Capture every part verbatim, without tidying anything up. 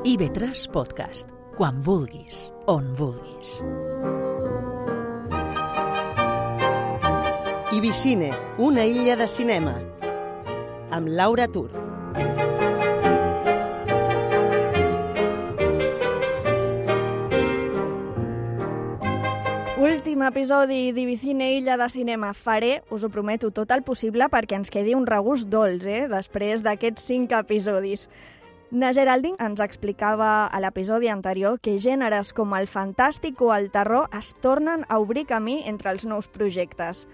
I ve tres Podcast, quan vulguis, on vulguis. Ibicine, una illa de cinema, amb Laura Tur. Últim episodi d'Ibicine, illa de cinema. Faré, us ho prometo, tot el possible perquè ens quedi un regust dolç, eh?, després d'aquests cinc episodis. Na Geraldine ens explicava a l'episodi anterior que gèneres com el fantàstic o el terror es tornen a obrir camí entre els nous projectes.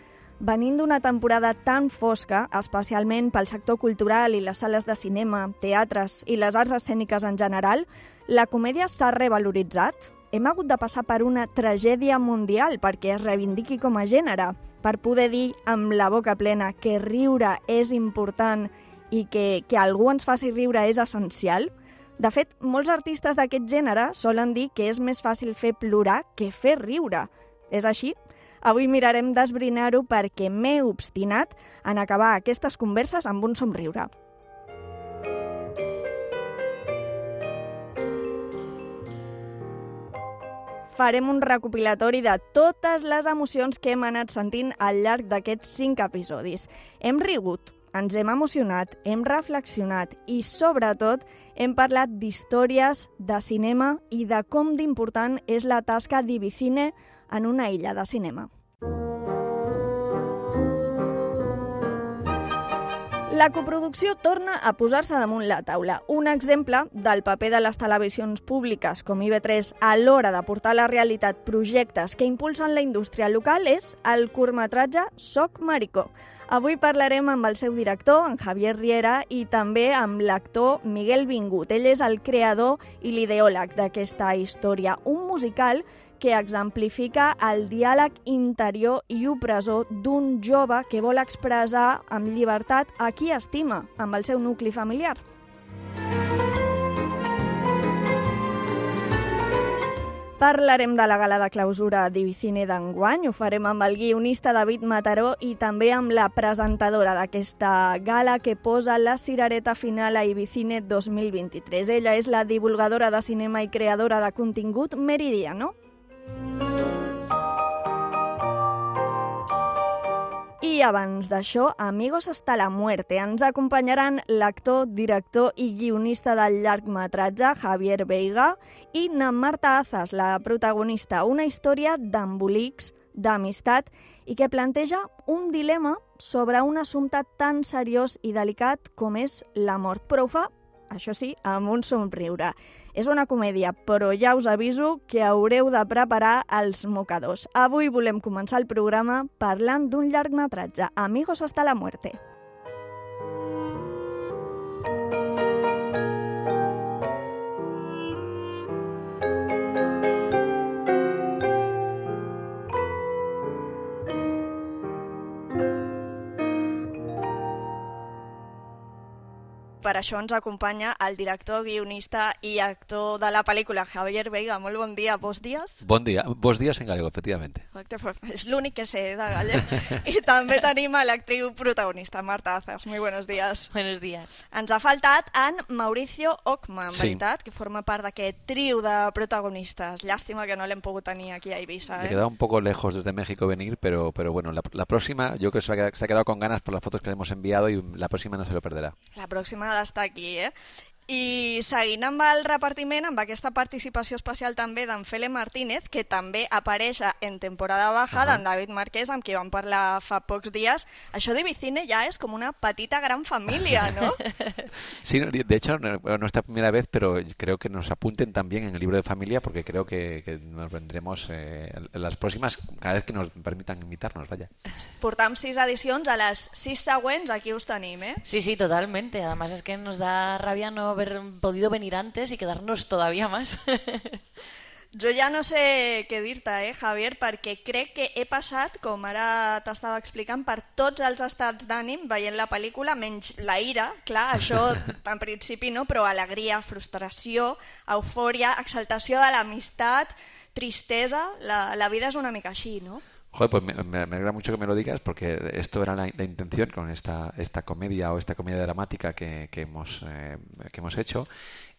Venint d'una temporada tan fosca, especialment pel sector cultural i les sales de cinema, teatres i les arts escèniques en general, la comèdia s'ha revaloritzat. Hem hagut de passar per una tragèdia mundial perquè es reivindiqui com a gènere, per poder dir amb la boca plena que riure és important i que, que algú ens faci riure és essencial. De fet, molts artistes d'aquest gènere solen dir que és més fàcil fer plorar que fer riure. És així? Avui mirarem d'esbrinar-ho perquè m'he obstinat en acabar aquestes converses amb un somriure. Farem un recopilatori de totes les emocions que hem anat sentint al llarg d'aquests cinc episodis. Hem rigut, ens hem emocionat, hem reflexionat i, sobretot, hem parlat d'històries, de cinema i de com d'important és la tasca d'Ibicine en una illa de cinema. La coproducció torna a posar-se damunt la taula. Un exemple del paper de les televisions públiques com I V tres a l'hora de portar a la realitat projectes que impulsen la indústria local és el curtmetratge Soc Maricó. Avui parlarem amb el seu director, en Javier Riera, i també amb l'actor Miguel Vingut. Ell és el creador i l'ideòleg d'aquesta història, un musical que exemplifica el diàleg interior i opressor d'un jove que vol expressar amb llibertat a qui estima, amb el seu nucli familiar. Parlarem de la gala de clausura d'Ibicine d'enguany, ho farem amb el guionista David Mataró i també amb la presentadora d'aquesta gala que posa la cirereta final a Ibicine dos mil vint-i-tres. Ella és la divulgadora de cinema i creadora de contingut Meridiano. I abans d'això, Amigos hasta la muerte. Ens acompanyaran l'actor, director i guionista del llargmetratge, Javier Veiga, i na Marta Azas, la protagonista, una història d'embolics, d'amistat i que planteja un dilema sobre un assumpte tan seriós i delicat com és la mort. Però ho fa, això sí, amb un somriure. És una comèdia, però ja us aviso que haureu de preparar els mocadors. Avui volem començar el programa parlant d'un llargmetratge, Amigos hasta la muerte. Per això ens acompanya el director, guionista i actor de la pel·lícula, Javier Veiga. Molt bon dia, bons dies? Bon dia, bons dies en gallego, efectivamente. És l'únic que sé de gallec. I també tenim a l'actriu protagonista, Marta Azas. Muy buenos días. Buenos días. Ens ha faltat en Mauricio Ockman, sí. veritat, que forma part d'aquest trio de protagonistes. Llàstima que no l'hem pogut tenir aquí a Ibiza. Me ¿eh? he quedado un poco lejos desde México venir, pero, pero bueno, la, la próxima, yo creo que se ha, quedado, se ha quedado con ganas por las fotos que le hemos enviado y la próxima no se lo perderá. La pròxima ha d'estar aquí, eh? I seguint amb el repartiment, amb aquesta participació especial també d'en Fele Martínez, que també apareix en temporada baja, uh-huh. d'en David Marqués, amb qui vam parlar fa pocs dies. Això d'Ibicine ja és com una petita gran família, ¿no? Sí, de hecho, no, no es la primera vez, pero creo que nos apunten también en el libro de familia, porque creo que, que nos vendremos eh, en las próximas, cada vez que nos permitan invitarnos, vaya. Portam sis edicions, a les sis següents aquí us tenim, eh? Sí, sí, totalmente. Además es que nos da rabia no haber podido venir antes y quedarnos todavía más. Jo ja no sé què dir-te, eh, Javier, perquè crec que he passat, com ara t'estava explicant, per tots els estats d'ànim veient la pel·lícula, menys la ira, clar, això en principi no, però alegria, frustració, eufòria, exaltació de l'amistat, tristesa, la, la vida és una mica així, no? Joder, pues me, me, me alegra mucho que me lo digas porque esto era la, la intención con esta, esta comedia o esta comedia dramática que, que, hemos, eh, que hemos hecho,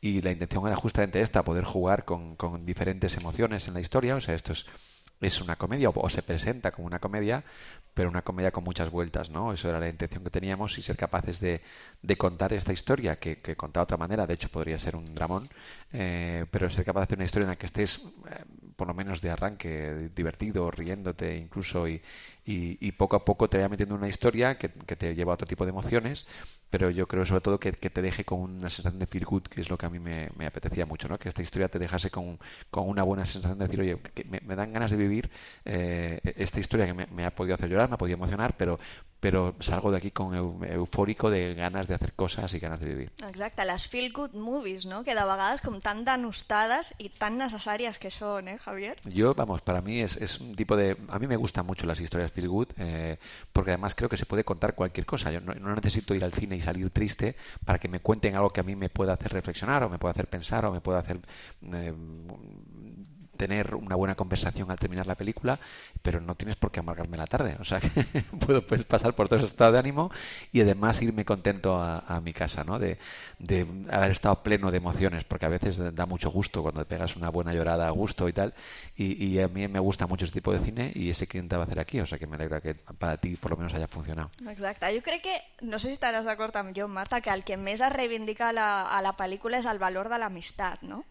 y la intención era justamente esta, poder jugar con, con diferentes emociones en la historia. O sea, esto es, es una comedia o, o se presenta como una comedia, pero una comedia con muchas vueltas, ¿no? Eso era la intención que teníamos, y ser capaces de, de contar esta historia que, que contada de otra manera, de hecho podría ser un dramón, eh, pero ser capaz de hacer una historia en la que estés, eh, por lo menos de arranque, divertido, riéndote incluso, y, y, y poco a poco te vaya metiendo en una historia que, que te lleva a otro tipo de emociones, pero yo creo sobre todo que, que te deje con una sensación de feel good, que es lo que a mí me, me apetecía mucho, ¿no? Que esta historia te dejase con, con una buena sensación de decir, oye, que me, me dan ganas de vivir eh, esta historia que me, me ha podido hacer llorar, me ha podido emocionar, pero però salgo d'aquí com eu, eufòrico de ganes de hacer cosas y ganas de vivir. Exacte, les feel good movies, ¿no? Que de vegades com tan denostades y tan necesarias que son, ¿eh, Javier? Yo, vamos, para mí es, es un tipo de... A mí me gustan mucho las historias feel good, eh, porque además creo que se puede contar cualquier cosa. Yo no, no necesito ir al cine y salir triste para que me cuenten algo que a mí me pueda hacer reflexionar, o me pueda hacer pensar, o me pueda hacer... Eh, tener una buena conversación al terminar la película, pero no tienes por qué amargarme la tarde. O sea, que puedo pues, pasar por todo ese estado de ánimo y además irme contento a, a mi casa, ¿no? De, de haber estado pleno de emociones, porque a veces da mucho gusto cuando te pegas una buena llorada a gusto y tal, y, y a mí me gusta mucho ese tipo de cine, y ese que intentaba hacer aquí, o sea que me alegra que para ti por lo menos haya funcionado. Exacte, jo crec que, no sé si estaràs d'acord amb jo, Marta, que el que més es reivindica a la, a la pel·lícula és el valor de l'amistat, ¿no?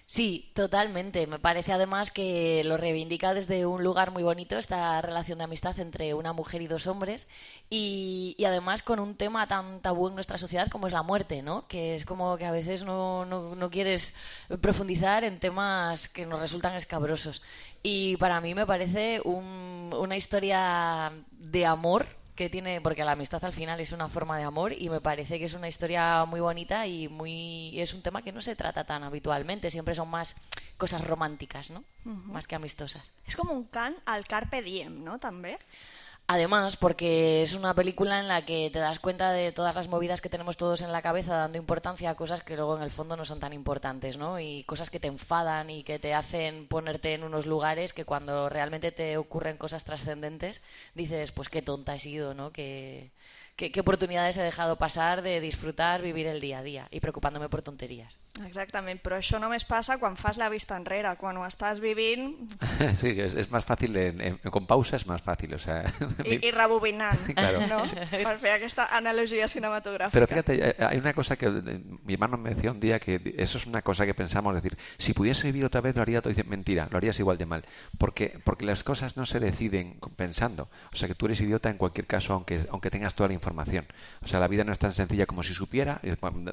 Sí, totalmente. Me parece además que lo reivindica desde un lugar muy bonito, esta relación de amistad entre una mujer y dos hombres, y, y además con un tema tan tabú en nuestra sociedad como es la muerte, ¿no? Que es como que a veces no, no, no quieres profundizar en temas que nos resultan escabrosos. Y para mí me parece un, una historia de amor que tiene, porque la amistad al final es una forma de amor, y me parece que es una historia muy bonita y muy es un tema que no se trata tan habitualmente, siempre son más cosas románticas, ¿no? Uh-huh. Más que amistosas. Es como un cant al carpe diem, ¿no? També. Además, porque es una película en la que te das cuenta de todas las movidas que tenemos todos en la cabeza, dando importancia a cosas que luego en el fondo no son tan importantes, ¿no? Y cosas que te enfadan y que te hacen ponerte en unos lugares que cuando realmente te ocurren cosas trascendentes dices, pues qué tonta he sido, ¿no? Que, que, qué oportunidades he dejado pasar de disfrutar, vivir el día a día y preocupándome por tonterías. Exactament, però això només passa quan fas la vista enrere, quan ho estàs vivint... Sí, es, es más fácil, en, en, con pausa es más fácil, o sea... I, i rebobinant, claro. ¿no? Per fer aquesta analogia cinematográfica. Pero fíjate, hay una cosa que mi hermano me decía un día, que eso es una cosa que pensamos, decir, si pudiese vivir otra vez lo haría todo. Dice, mentira, lo harías igual de mal, porque porque las cosas no se deciden pensando. O sea, que tú eres idiota en cualquier caso, aunque aunque tengas toda la información. O sea, la vida no es tan sencilla como si supiera,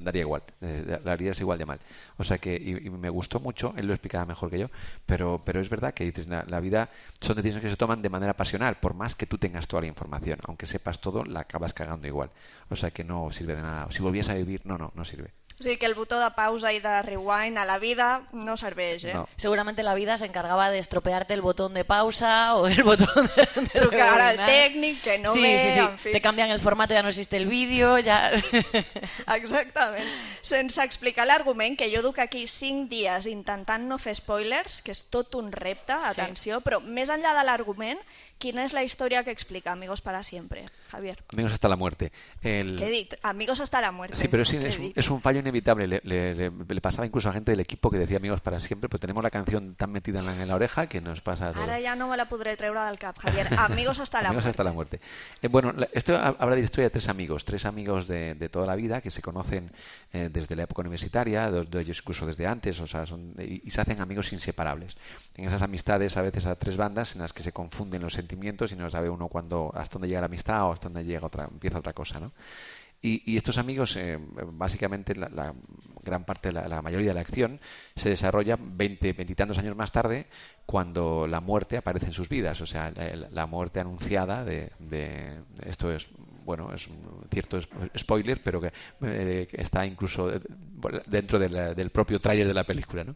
daría igual, eh, la harías igual de mal. O sea que, y, y me gustó mucho, él lo explicaba mejor que yo, pero pero es verdad que dices, la, la vida son decisiones que se toman de manera pasional, por más que tú tengas toda la información, aunque sepas todo, la acabas cagando igual. O sea que no sirve de nada. Si volvies a vivir, no, no, no sirve. O sigui que el botó de pausa i de rewind a la vida no serveix, ¿eh? No. Seguramente la vida se encargaba de estropearte el botón de pausa o el botón de, de trucar al rebobinar. tècnic, que no sí, ve, sí, sí. en fi. Te cambian el formato, ya no existe el vídeo, ya... Exactament. Sense explicar l'argument, que jo duc aquí cinc dies intentant no fer spoilers, que és tot un repte, atenció, sí. Però més enllà de l'argument, quina és la història que explica Amigos para siempre, Javier? Amigos hasta la muerte. El... ¿Qué he dit? Amigos hasta la muerte. Sí, pero sí, es, un, es un fallo inevitable. Le, le, le, le pasaba incluso a gente del equipo que decía Amigos para siempre, pero tenemos la canción tan metida en la, en la oreja que nos pasa a todos. Ahora ya no me la podré treure del cap, Javier. Amigos hasta la Amigos muerte. hasta la muerte. Eh, bueno, la, esto habla de la historia de tres amigos, tres amigos de, de toda la vida que se conocen eh, desde la época universitaria, dos de ellos incluso desde antes, o sea, son, y, y se hacen amigos inseparables. En esas amistades a veces a tres bandas en las que se confunden los sentimientos y no sabe uno cuándo, hasta dónde llega la amistad o hasta dónde llega otra, empieza otra cosa, ¿no? Y, y estos amigos, eh, básicamente la, la gran parte, la, la mayoría de la acción se desarrolla veinte, veintitantos años más tarde, cuando la muerte aparece en sus vidas, o sea, la, la muerte anunciada de, de esto es, bueno, es un cierto spoiler, pero que, eh, que está incluso dentro de la, del propio tráiler de la película, ¿no?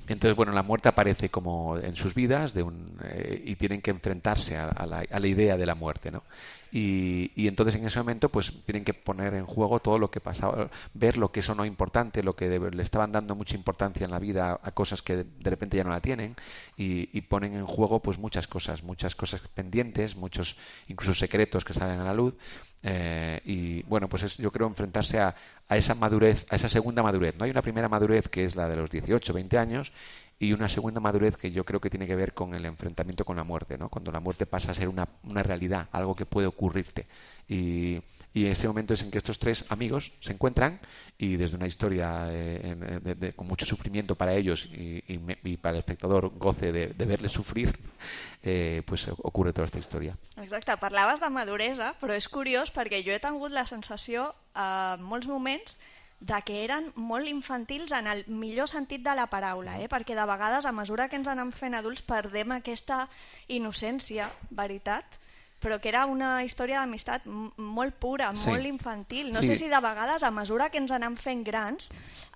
Entonces, bueno, la muerte aparece como en sus vidas de un, eh, y tienen que enfrentarse a, a, la, a la idea de la muerte, ¿no? Y, y entonces en ese momento pues tienen que poner en juego todo lo que pasaba, ver lo que eso no es importante, lo que de, le estaban dando mucha importancia en la vida a cosas que de, de repente ya no la tienen y, y ponen en juego pues muchas cosas, muchas cosas pendientes, muchos incluso secretos que salen a la luz. Eh, y bueno, pues es, yo creo enfrentarse a, a esa madurez, a esa segunda madurez. No hay una primera madurez que es la de los dieciocho, veinte años y una segunda madurez que yo creo que tiene que ver con el enfrentamiento con la muerte, ¿no? Cuando la muerte pasa a ser una, una realidad, algo que puede ocurrirte. Y, y ese momento es en que estos tres amigos se encuentran y desde una historia eh, de, de, con mucho sufrimiento para ellos y, y, me, y para el espectador goce de, de verles sufrir, eh, pues ocurre toda esta història. Exacte, parlaves de maduresa, però és curiós perquè jo he tingut la sensació en molts moments de que eren molt infantils en el millor sentit de la paraula, eh? Perquè de vegades, a mesura que ens anem fent adults, perdem aquesta innocència, veritat, però que era una història d'amistat molt pura, sí. molt infantil. No sí. sé si de vegades, a mesura que ens anem fent grans,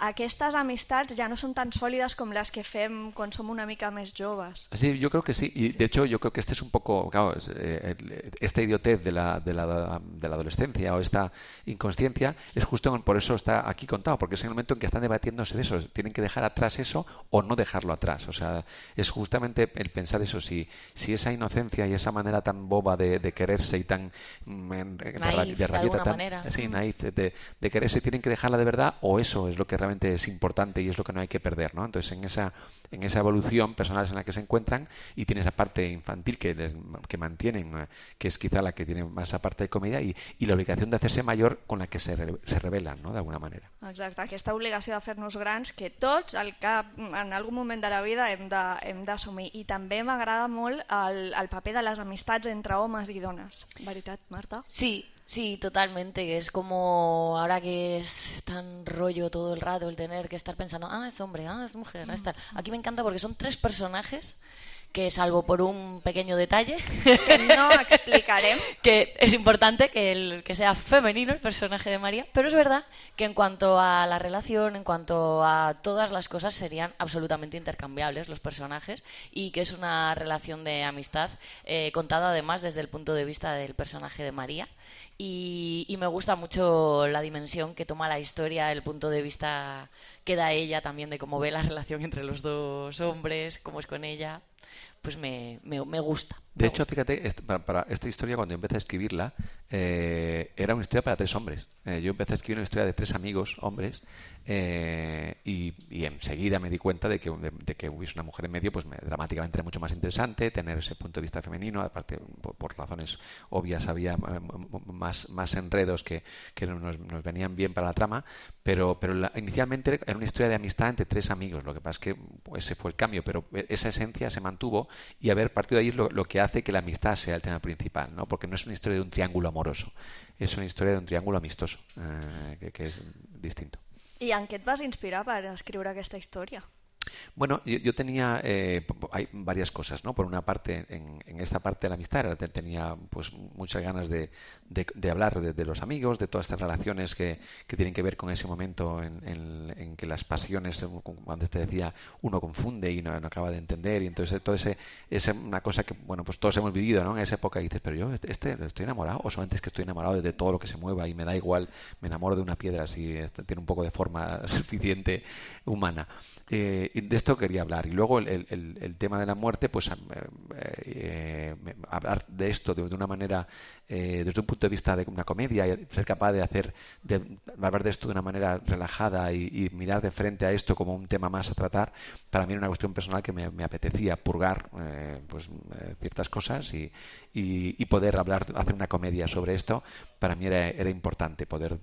aquestes amistats ja no són tan sòlides com les que fem quan som una mica més joves. Sí, yo creo que sí. Y de hecho yo creo que este es un poco, claro, eh, esta idiotez de la, de, la, de la adolescencia o esta inconsciencia es justo por eso está aquí contado, porque es en el momento en que están debatiéndose de eso. Tienen que dejar atrás eso o no dejarlo atrás. O sea, es justamente el pensar eso, si, si esa inocencia y esa manera tan boba de de quererse y tan de, naif, de rabieta, de tan manera. Sí, naif, de, de, de quererse, tienen que dejarla de verdad o eso es lo que realmente es importante y es lo que no hay que perder, ¿no? Entonces en esa en esa evolución personal en la que se encuentran y tiene esa parte infantil que les, que mantienen, que es quizá la que tiene más esa parte de comedia y, y la obligación de hacerse mayor con la que se, re, se revelan, ¿no? De alguna manera. Exacte, aquesta obligació de fer-nos grans que tots al cap, en algun moment de la vida hem de, hem d'assumir. I també m'agrada molt el, el paper de les amistats entre homes i dones. ¿Veritat, Marta? Sí, sí, totalmente. Es como ahora que es tan rollo todo el rato el tener que estar pensando, ah, es hombre, ah, es mujer, ah, es tal. Aquí me encanta porque son tres personajes que, salvo por un pequeño detalle que no explicarem, que es importante que, el, que sea femenino el personaje de María, pero es verdad que en cuanto a la relación, en cuanto a todas las cosas, serían absolutamente intercambiables los personajes y que es una relación de amistad eh, contada además desde el punto de vista del personaje de María. Y, y me gusta mucho la dimensión que toma la historia, el punto de vista que da ella también de cómo ve la relación entre los dos hombres, cómo es con ella. Pues me, me, me gusta. De me hecho, gusta. fíjate, este, para, para esta historia cuando empecé a escribirla eh, era una historia para tres hombres. Eh, yo empecé a escribir una historia de tres amigos, hombres, eh, y, y enseguida me di cuenta de que, de, de que hubiese una mujer en medio, pues me, dramáticamente era mucho más interesante tener ese punto de vista femenino. Aparte, por, por razones obvias había más, más enredos que, que nos, nos venían bien para la trama, pero, pero la, inicialmente era una historia de amistad entre tres amigos. Lo que pasa es que pues, ese fue el cambio, pero esa esencia se mantuvo y haber partido de ahí es lo, lo que hace que la amistad sea el tema principal, ¿no? Porque no es una historia de un triángulo amoroso, es una historia de un triángulo amistoso, eh, que, que es distinto. I en què et vas inspirar per escriure aquesta història? Bueno, yo, yo tenía eh, hay varias cosas, ¿no? Por una parte, en, en esta parte de la amistad tenía pues muchas ganas de, de, de hablar de, de los amigos, de todas estas relaciones que, que tienen que ver con ese momento en, en, en que las pasiones, como antes te decía, uno confunde y no, no acaba de entender y entonces todo ese es una cosa que bueno pues todos hemos vivido, ¿no? En esa época y dices, pero yo este estoy enamorado o solamente es que estoy enamorado de todo lo que se mueva y me da igual, me enamoro de una piedra si este, tiene un poco de forma suficiente humana. Eh, y de esto quería hablar. Y luego el, el, el tema de la muerte, pues eh, eh, hablar de esto de, de una manera, eh, desde un punto de vista de una comedia, y ser capaz de hacer, de hablar de esto de una manera relajada y, y mirar de frente a esto como un tema más a tratar, para mí era una cuestión personal que me, me apetecía purgar eh, pues eh, ciertas cosas y, y, y poder hablar, hacer una comedia sobre esto. Para mí era, era importante poder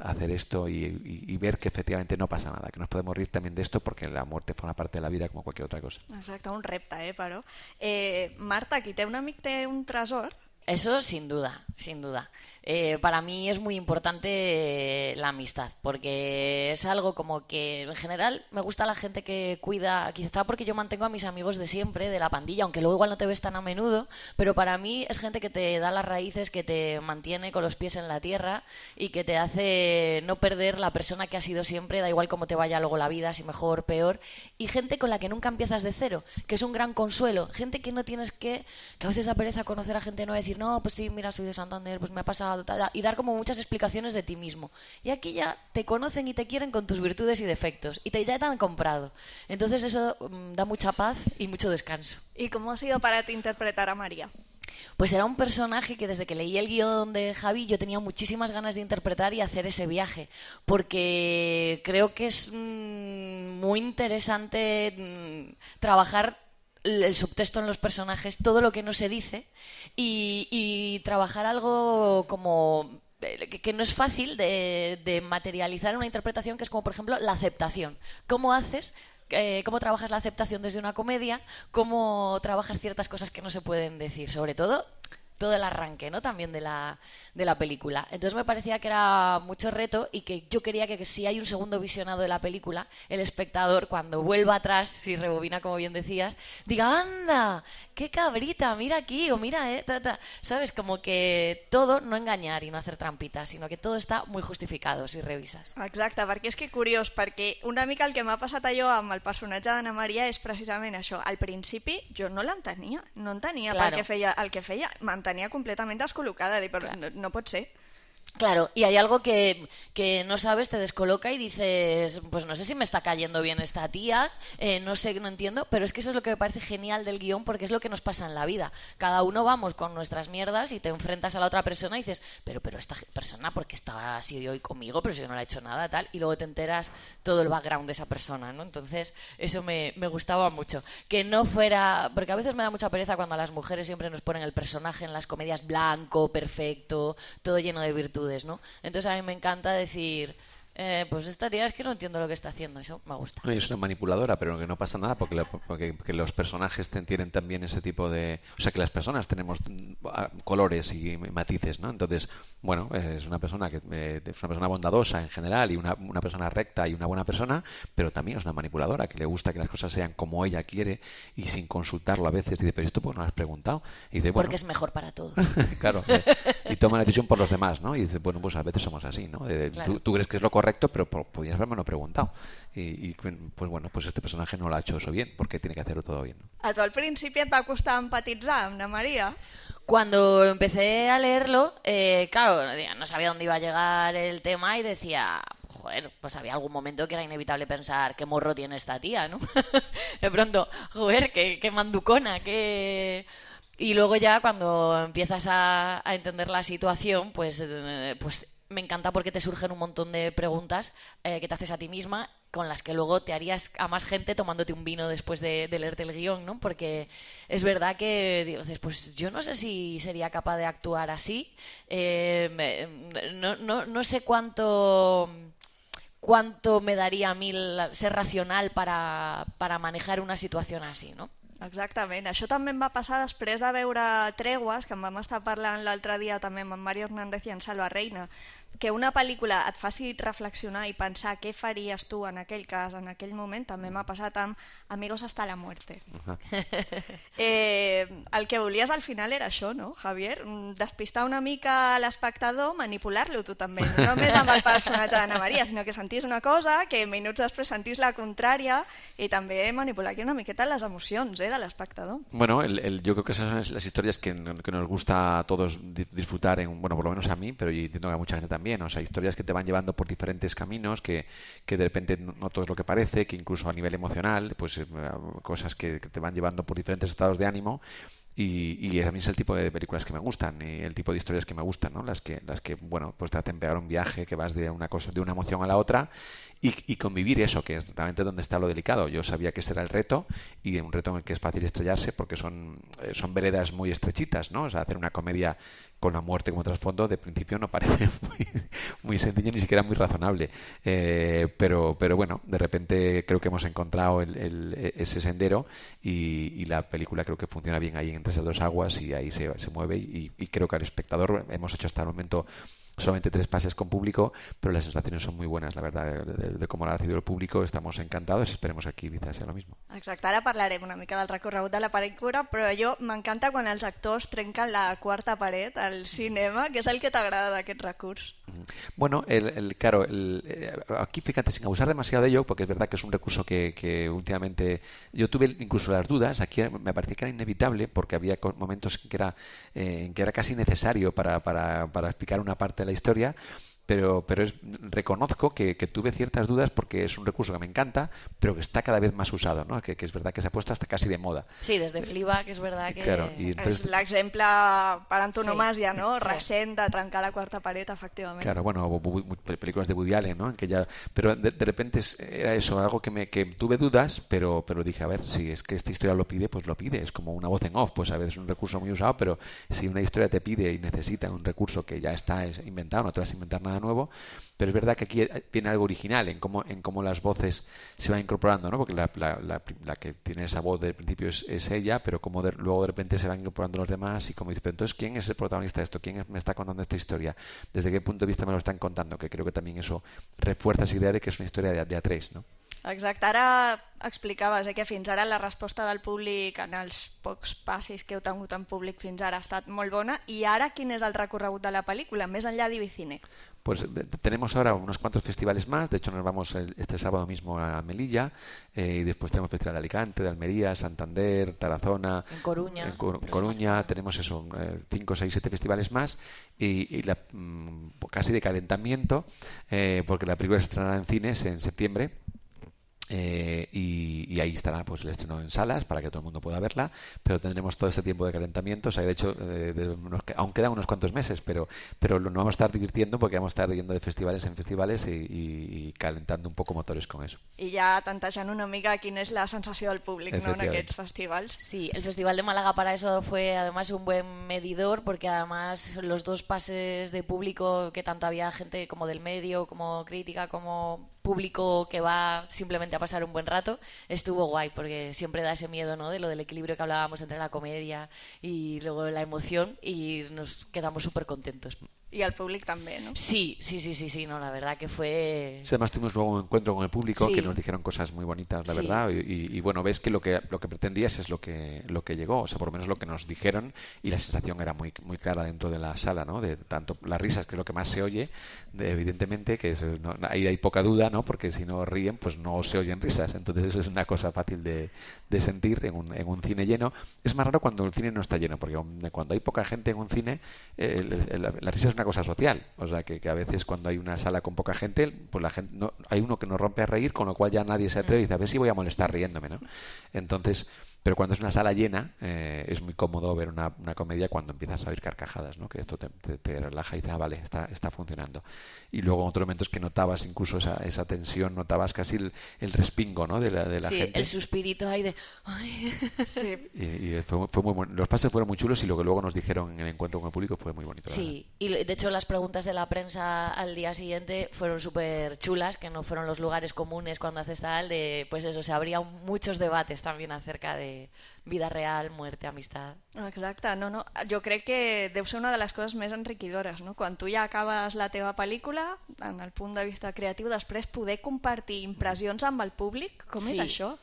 hacer esto y, y, y ver que efectivamente no pasa nada, que nos podemos reír también de esto porque la muerte forma parte de la vida como cualquier otra cosa. Exacte, un repte, eh, però. Eh, Marta, qui té un amic té un tresor, Eso sin duda, sin duda. Eh, para mí es muy importante la amistad, porque es algo como que en general me gusta la gente que cuida, quizá porque yo mantengo a mis amigos de siempre, de la pandilla, aunque luego igual no te ves tan a menudo, pero para mí es gente que te da las raíces, que te mantiene con los pies en la tierra y que te hace no perder la persona que has sido siempre, da igual cómo te vaya luego la vida, si mejor, peor, y gente con la que nunca empiezas de cero, que es un gran consuelo, gente que no tienes que, que a veces da pereza conocer a gente nueva y decir, no, pues sí, mira, soy de Santander, pues me ha pasado, tal, y dar como muchas explicaciones de ti mismo. Y aquí ya te conocen y te quieren con tus virtudes y defectos, y te, ya te han comprado. Entonces eso um, da mucha paz y mucho descanso. ¿Y cómo ha sido para ti interpretar a María? Pues era un personaje que desde que leí el guión de Javi yo tenía muchísimas ganas de interpretar y hacer ese viaje, porque creo que es mmm, muy interesante mmm, trabajar el subtexto en los personajes, todo lo que no se dice, y, y trabajar algo como que, que no es fácil de, de materializar en una interpretación, que es como, por ejemplo, la aceptación. ¿Cómo haces? Eh, cómo trabajas la aceptación desde una comedia, cómo trabajas ciertas cosas que no se pueden decir, sobre todo todo el arranque, ¿no? También de la, de la película. Entonces me parecía que era mucho reto y que yo quería que, que si hay un segundo visionado de la película, el espectador, cuando vuelva atrás, si rebobina, como bien decías, diga, anda, qué cabrita, mira aquí, o mira, eh, ta, ta. ¿Sabes? Como que todo, no engañar y no hacer trampitas, sino que todo está muy justificado si revisas. Exacte, perquè és que curiós, perquè una mica el que m'ha passat allò amb el personatge d'Anna Maria és precisament això. Al principi jo no l'entenia, no entenia claro. per què feia el que feia, tenía completamente descolocada, de, pero claro. no, no puede ser. Claro, y hay algo que, que no sabes, te descoloca y dices, pues no sé si me está cayendo bien esta tía, eh, no sé, no entiendo, pero es que eso es lo que me parece genial del guión, porque es lo que nos pasa en la vida. Cada uno vamos con nuestras mierdas y te enfrentas a la otra persona y dices, pero pero esta persona, ¿por qué está así hoy conmigo? Pero si yo no le he hecho nada, tal, y luego te enteras todo el background de esa persona, ¿no? Entonces, eso me, me gustaba mucho. Que no fuera, porque a veces me da mucha pereza cuando a las mujeres siempre nos ponen el personaje en las comedias blanco, perfecto, todo lleno de virtudes, ¿no? Entonces a mí me encanta decir, eh, pues esta tía es que no entiendo lo que está haciendo, eso me gusta. No, es una manipuladora, pero que no pasa nada porque, la, porque, porque los personajes tienen también ese tipo de... O sea, que las personas tenemos colores y matices, ¿no? Entonces, bueno, es una persona que eh, es una persona bondadosa en general y una, una persona recta y una buena persona, pero también es una manipuladora que le gusta que las cosas sean como ella quiere y sin consultarlo a veces dice, pero esto pues no lo has preguntado. Y dice, bueno, porque es mejor para todos. Claro, eh, y toma la decisión por los demás, ¿no? Y dice, bueno, pues a veces somos así, ¿no? Eh, claro. tú, tú crees que es lo correcto, pero podías haberme lo preguntado. Y, y pues bueno, pues este personaje no lo ha hecho eso bien, porque tiene que hacerlo todo bien, ¿no? ¿A tu al principi et va costar empatitzar amb Ana María? Cuando empecé a leerlo, eh, claro, no sabía dónde iba a llegar el tema y decía, joder, pues había algún momento que era inevitable pensar qué morro tiene esta tía, ¿no? De pronto, joder, qué, qué manducona, qué... Y luego ya cuando empiezas a, a entender la situación, pues, eh, pues me encanta porque te surgen un montón de preguntas eh, que te haces a ti misma, con las que luego te harías a más gente tomándote un vino después de, de leerte el guión, ¿no? Porque es verdad que dices, pues yo no sé si sería capaz de actuar así, eh, no, no, no sé cuánto... cuánto me daría a mí ser racional para, para manejar una situación así, ¿no? Exactament. Això també em va passar després de veure Tregues, que en vam estar parlant l'altre dia també amb en Mario Hernández i en Salva Reina, que una pel·lícula et faci reflexionar i pensar què faries tu en aquell cas, en aquell moment, també m'ha passat amb Amigos hasta la muerte. Uh-huh. eh, el que volies al final era això, no, Javier? Despistar una mica l'espectador, manipular-lo tu també, no només amb el personatge d'Anna Maria, sinó que sentís una cosa, que minuts després sentís la contrària i també manipular aquí una miqueta les emocions eh, de l'espectador. Bueno, el, el, yo creo que esas son las historias que, que nos gusta a todos disfrutar, en, bueno, por lo menos a mí, pero yo entiendo que a mucha gente también. O sea, historias que te van llevando por diferentes caminos, que, que de repente no todo es lo que parece, que incluso a nivel emocional, pues eh, cosas que, que te van llevando por diferentes estados de ánimo. Y, y a mí es el tipo de películas que me gustan y el tipo de historias que me gustan, ¿no? Las que, las que bueno, pues te hacen pegar un viaje, que vas de una cosa, de una emoción a la otra y, y convivir eso, que es realmente donde está lo delicado. Yo sabía que ese era el reto y un reto en el que es fácil estrellarse porque son, son veredas muy estrechitas, ¿no? O sea, hacer una comedia con la muerte como trasfondo, de principio no parece muy, muy sencillo, ni siquiera muy razonable. Eh, pero, pero bueno, de repente creo que hemos encontrado el, el, ese sendero y, y la película creo que funciona bien ahí entre esas dos aguas y ahí se, se mueve y, y creo que al espectador hemos hecho hasta el momento solamente tres pases con público, pero las sensaciones son muy buenas, la verdad, de, de, de cómo lo ha recibido el público. Estamos encantados y esperemos que aquí Ibiza sea lo mismo. Exacte, ara parlarem una mica del recorregut de la pel·lícula, però jo m'encanta quan els actors trenquen la quarta paret al cinema, que és el que t'agrada d'aquest recurs. Bueno, el, el, claro, el, aquí fíjate, sin abusar demasiado de ello, porque es verdad que es un recurso que, que últimamente yo tuve incluso las dudas, aquí me parecía que era inevitable porque había momentos en que era, eh, en que era casi necesario para, para, para explicar una parte de la historia, pero, pero es, reconozco que, que tuve ciertas dudas porque es un recurso que me encanta, pero que está cada vez más usado, ¿no? Que, que es verdad que se ha puesto hasta casi de moda. Sí, desde Fleabag, que és verdad que... Claro, y entonces... És l'exemple per antonomàsia, Sí. no? Sí. Recent de trencar la quarta paret, efectivament. Claro, bueno, bu- bu- bu- películas de Woody Allen, ¿no? En que ya, pero de, de repente es- era eso, algo que me que tuve dudas, pero pero dije, a ver, si es que esta historia lo pide, pues lo pide. Es como una voz en off, pues a veces es un recurso muy usado, pero si una historia te pide y necesita un recurso que ya está es inventado, no te vas a inventar nada nuevo. Pero es verdad que aquí tiene algo original en cómo en cómo las voces se van incorporando, ¿no? Porque la, la, la, la que tiene esa voz del principio es, es ella, pero como de- luego de repente se van incorporando los demás y como dice, pero entonces, ¿quién es el protagonista de esto? ¿Quién es- me está contando esta historia? ¿Desde qué punto de vista me lo están contando? Que creo que también eso refuerza esa idea de que es una historia de, de a tres, ¿no? Exacte, ara explicaves eh, que fins ara la resposta del públic en els pocs passis que heu tingut en públic fins ara ha estat molt bona, i ara quin és el recorregut de la pel·lícula, més enllà d'Ibicine? Pues eh, tenemos ahora unos cuantos festivales más. De hecho, nos vamos el- este sábado mismo a Melilla eh, y después tenemos Festival de Alicante, de Almería, Santander, Tarazona, En Coruña. en Cor- Coruña. Tenemos eso, eh, cinco, seis, siete festivales más y, y la, mm, casi de calentamiento eh, porque la película se estrenará en cines en septiembre. Eh, y, y ahí estará pues el estreno en salas para que todo el mundo pueda verla, pero tendremos todo este tiempo de calentamiento. O sea, de hecho, eh, de unos- aún quedan unos cuantos meses, pero pero lo- nos vamos a estar divirtiendo porque vamos a estar yendo de festivales en festivales y, y- y calentando un poco motores con eso. I ja tantejant una mica quina és la sensació del públic, no, en Efectivament. aquests festivals. Sí, el Festival de Málaga para eso fue además un buen medidor porque además los dos pases de público, que tanto había gente como del medio, como crítica, como público que va simplemente a pasar un buen rato, estuvo guay porque siempre da ese miedo, ¿no? De lo del equilibrio que hablábamos entre la comedia y luego la emoción y nos quedamos súper contentos. I el públic també, no? Sí, sí, sí, sí, sí, no, la verdad que fue... Sí, además tuvimos luego un encuentro con el público Sí. que nos dijeron cosas muy bonitas, la Sí. verdad, y, y- y bueno, ves que lo que lo que pretendías es lo que lo que llegó, o sea, por lo menos lo que nos dijeron y la sensación era muy muy clara dentro de la sala, ¿no? De tanto las risas, que es lo que más se oye, de- evidentemente, que es, no- ahí hay poca duda, ¿no? Porque si no ríen, pues no se oyen risas, entonces eso es una cosa fácil de, de sentir en un, en un cine lleno. Es más raro cuando el cine no está lleno, porque cuando hay poca gente en un cine, eh, el- el- la, la risa es una cosa social. O sea, que, que a veces cuando hay una sala con poca gente, pues la gente no, hay uno que nos rompe a reír, con lo cual ya nadie se atreve y dice, a ver si voy a molestar riéndome, ¿no? Entonces, pero cuando es una sala llena, eh, es muy cómodo ver una, una comedia cuando empiezas a oír carcajadas, ¿no? Que esto te, te- te relaja y dices, ah, vale, está, está funcionando. Y luego en otros momentos que notabas incluso esa, esa tensión, notabas casi el, el respingo, ¿no? De la, de la Sí, gente. el suspirito ahí de... Ay. Sí. Y, y fue, fue muy bueno. Los pases fueron muy chulos y lo que luego nos dijeron en el encuentro con el público fue muy bonito. la Sí, y de hecho las preguntas de la prensa al día siguiente fueron súper chulas, que no fueron los lugares comunes cuando haces tal, de pues eso, se abrían muchos debates también acerca de vida real, muerte, amistad. Exacte, no, no. Jo crec que deu ser una de les coses més enriquidores, no? Quan tu ja acabes la teva pel·lícula, en el punt de vista creatiu, després poder compartir impressions amb el públic, com Sí. és això?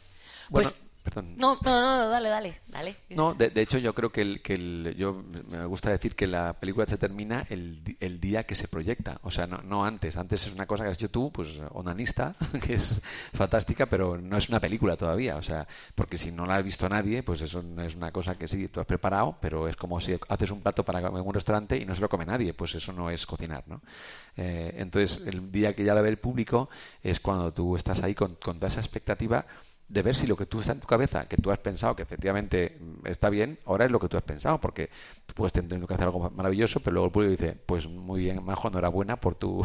Bueno, Pues- perdón. No, no, no, no, dale, dale, dale. No, de, de hecho yo creo que, el, que el, yo me gusta decir que la película se termina el, di- el día que se proyecta, o sea, no, no antes. Antes es una cosa que has hecho tú, pues onanista, que es fantástica, pero no es una película todavía, o sea, porque si no la ha visto nadie, pues eso no es una cosa que sí, tú has preparado, pero es como si haces un plato para en un restaurante y no se lo come nadie, pues eso no es cocinar, ¿no? Eh, entonces, el día que ya la ve el público es cuando tú estás ahí con, con toda esa expectativa de ver si lo que tú está en tu cabeza, que tú has pensado que efectivamente está bien, ahora es lo que tú has pensado, porque tú puedes tener que hacer algo maravilloso, pero luego el público dice, pues muy bien, Majo, enhorabuena por tu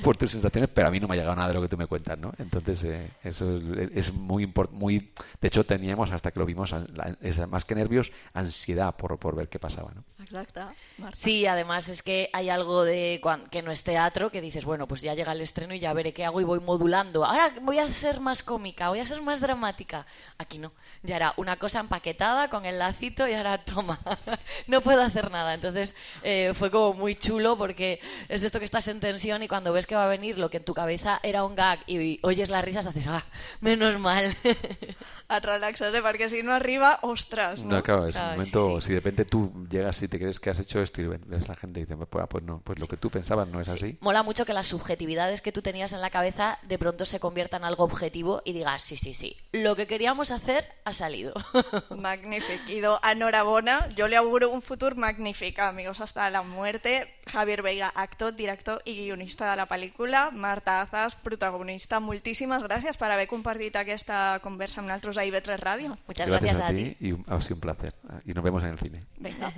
por tus sensaciones, pero a mí no me ha llegado nada de lo que tú me cuentas, ¿no? Entonces, eh, eso es, es muy importante, muy, de hecho teníamos, hasta que lo vimos, la, esa, más que nervios, ansiedad por, por ver qué pasaba, ¿no? Exacte, Marta. Sí, además es que hay algo de cuan- que no es teatro, que dices, bueno, pues ya llega el estreno y ya veré qué hago y voy modulando. Ahora voy a ser más cómica, voy a ser más dramática. Aquí no, ya era una cosa empaquetada con el lacito y ahora toma, no puedo hacer nada. Entonces eh, fue como muy chulo porque es de esto que estás en tensión y cuando ves que va a venir lo que en tu cabeza era un gag y oyes las risas haces, ah, menos mal. Et relaxes, eh? Perquè si no arriba, ostres, no? No, claro, es Claro, un momento, sí, sí. si de repente tú llegas y te crees que has hecho esto y ves la gente y dice, pues, pues no, pues lo que tú pensabas no es así. Sí, mola mucho que las subjetividades que tú tenías en la cabeza de pronto se conviertan en algo objetivo y digas, sí, sí, sí, lo que queríamos hacer ha salido. Magnífic. Idò, enhorabona. Jo li auguro un futur magnífic a Amigos hasta la muerte. Javier Veiga, actor, director i guionista de la pel·lícula. Marta Azas, protagonista. Moltíssimes gràcies per haver compartit aquesta conversa amb nosaltres a I V tres Ràdio. Muchas Gracias, gracias, a a ti ti. y un- ha sido un placer. Y nos vemos en el cine. Vinga.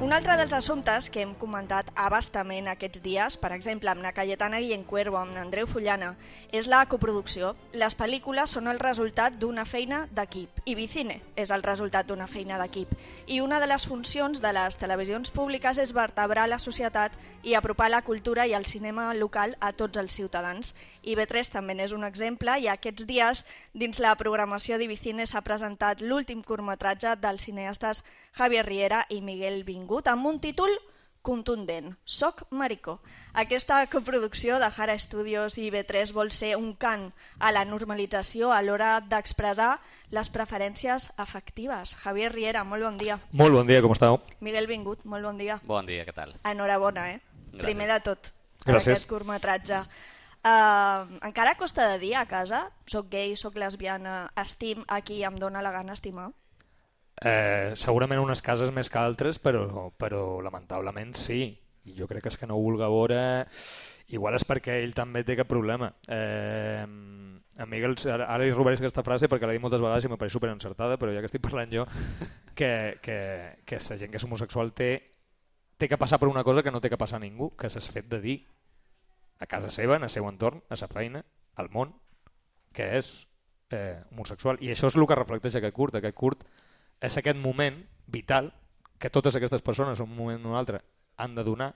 Un altre dels assumptes que hem comentat a bastament aquests dies, per exemple amb la Cayetana Guillencuervo, amb Andreu Fullana, és la coproducció. Les pel·lícules són el resultat d'una feina d'equip i Vicine és el resultat d'una feina d'equip. I una de les funcions de les televisions públiques és vertebrar la societat i apropar la cultura i el cinema local a tots els ciutadans. I V tres també n'és un exemple i aquests dies dins la programació d'Ivicine s'ha presentat l'últim curtmetratge dels cineastes Javier Riera i Miguel Vingut amb un títol contundent, Soc maricó. Aquesta coproducció de Jara Studios i I V tres vol ser un cant a la normalització a l'hora d'expressar les preferències afectives. Javier Riera, molt bon dia. Molt bon dia, com esteu? Miguel Vingut, molt bon dia. Bon dia, què tal? Enhorabona, eh? Gràcies. Primer de tot, per Gràcies. aquest curtmetratge. Uh, encara costa de dir a casa, soc gay, soc lesbiana, estim a qui em dóna la gana estimar? Eh, segurament unes cases més que altres, però, però lamentablement sí. I jo crec que és que no ho vulga veure... Igual és perquè ell també té aquest problema. Eh, a Miguel, ara, ara li robaré aquesta frase perquè l'he dit moltes vegades i m'apareix superencertada, però ja que estic parlant jo, que, que, que la gent que és homosexual té, té que passar per una cosa que no té que passar a ningú, que és el fet de dir a casa seva, en el seu entorn, a sa feina, al món, que és eh, homosexual. I això és el que reflecteix aquest curt. Aquest curt és aquest moment vital que totes aquestes persones, un moment o un altre, han de donar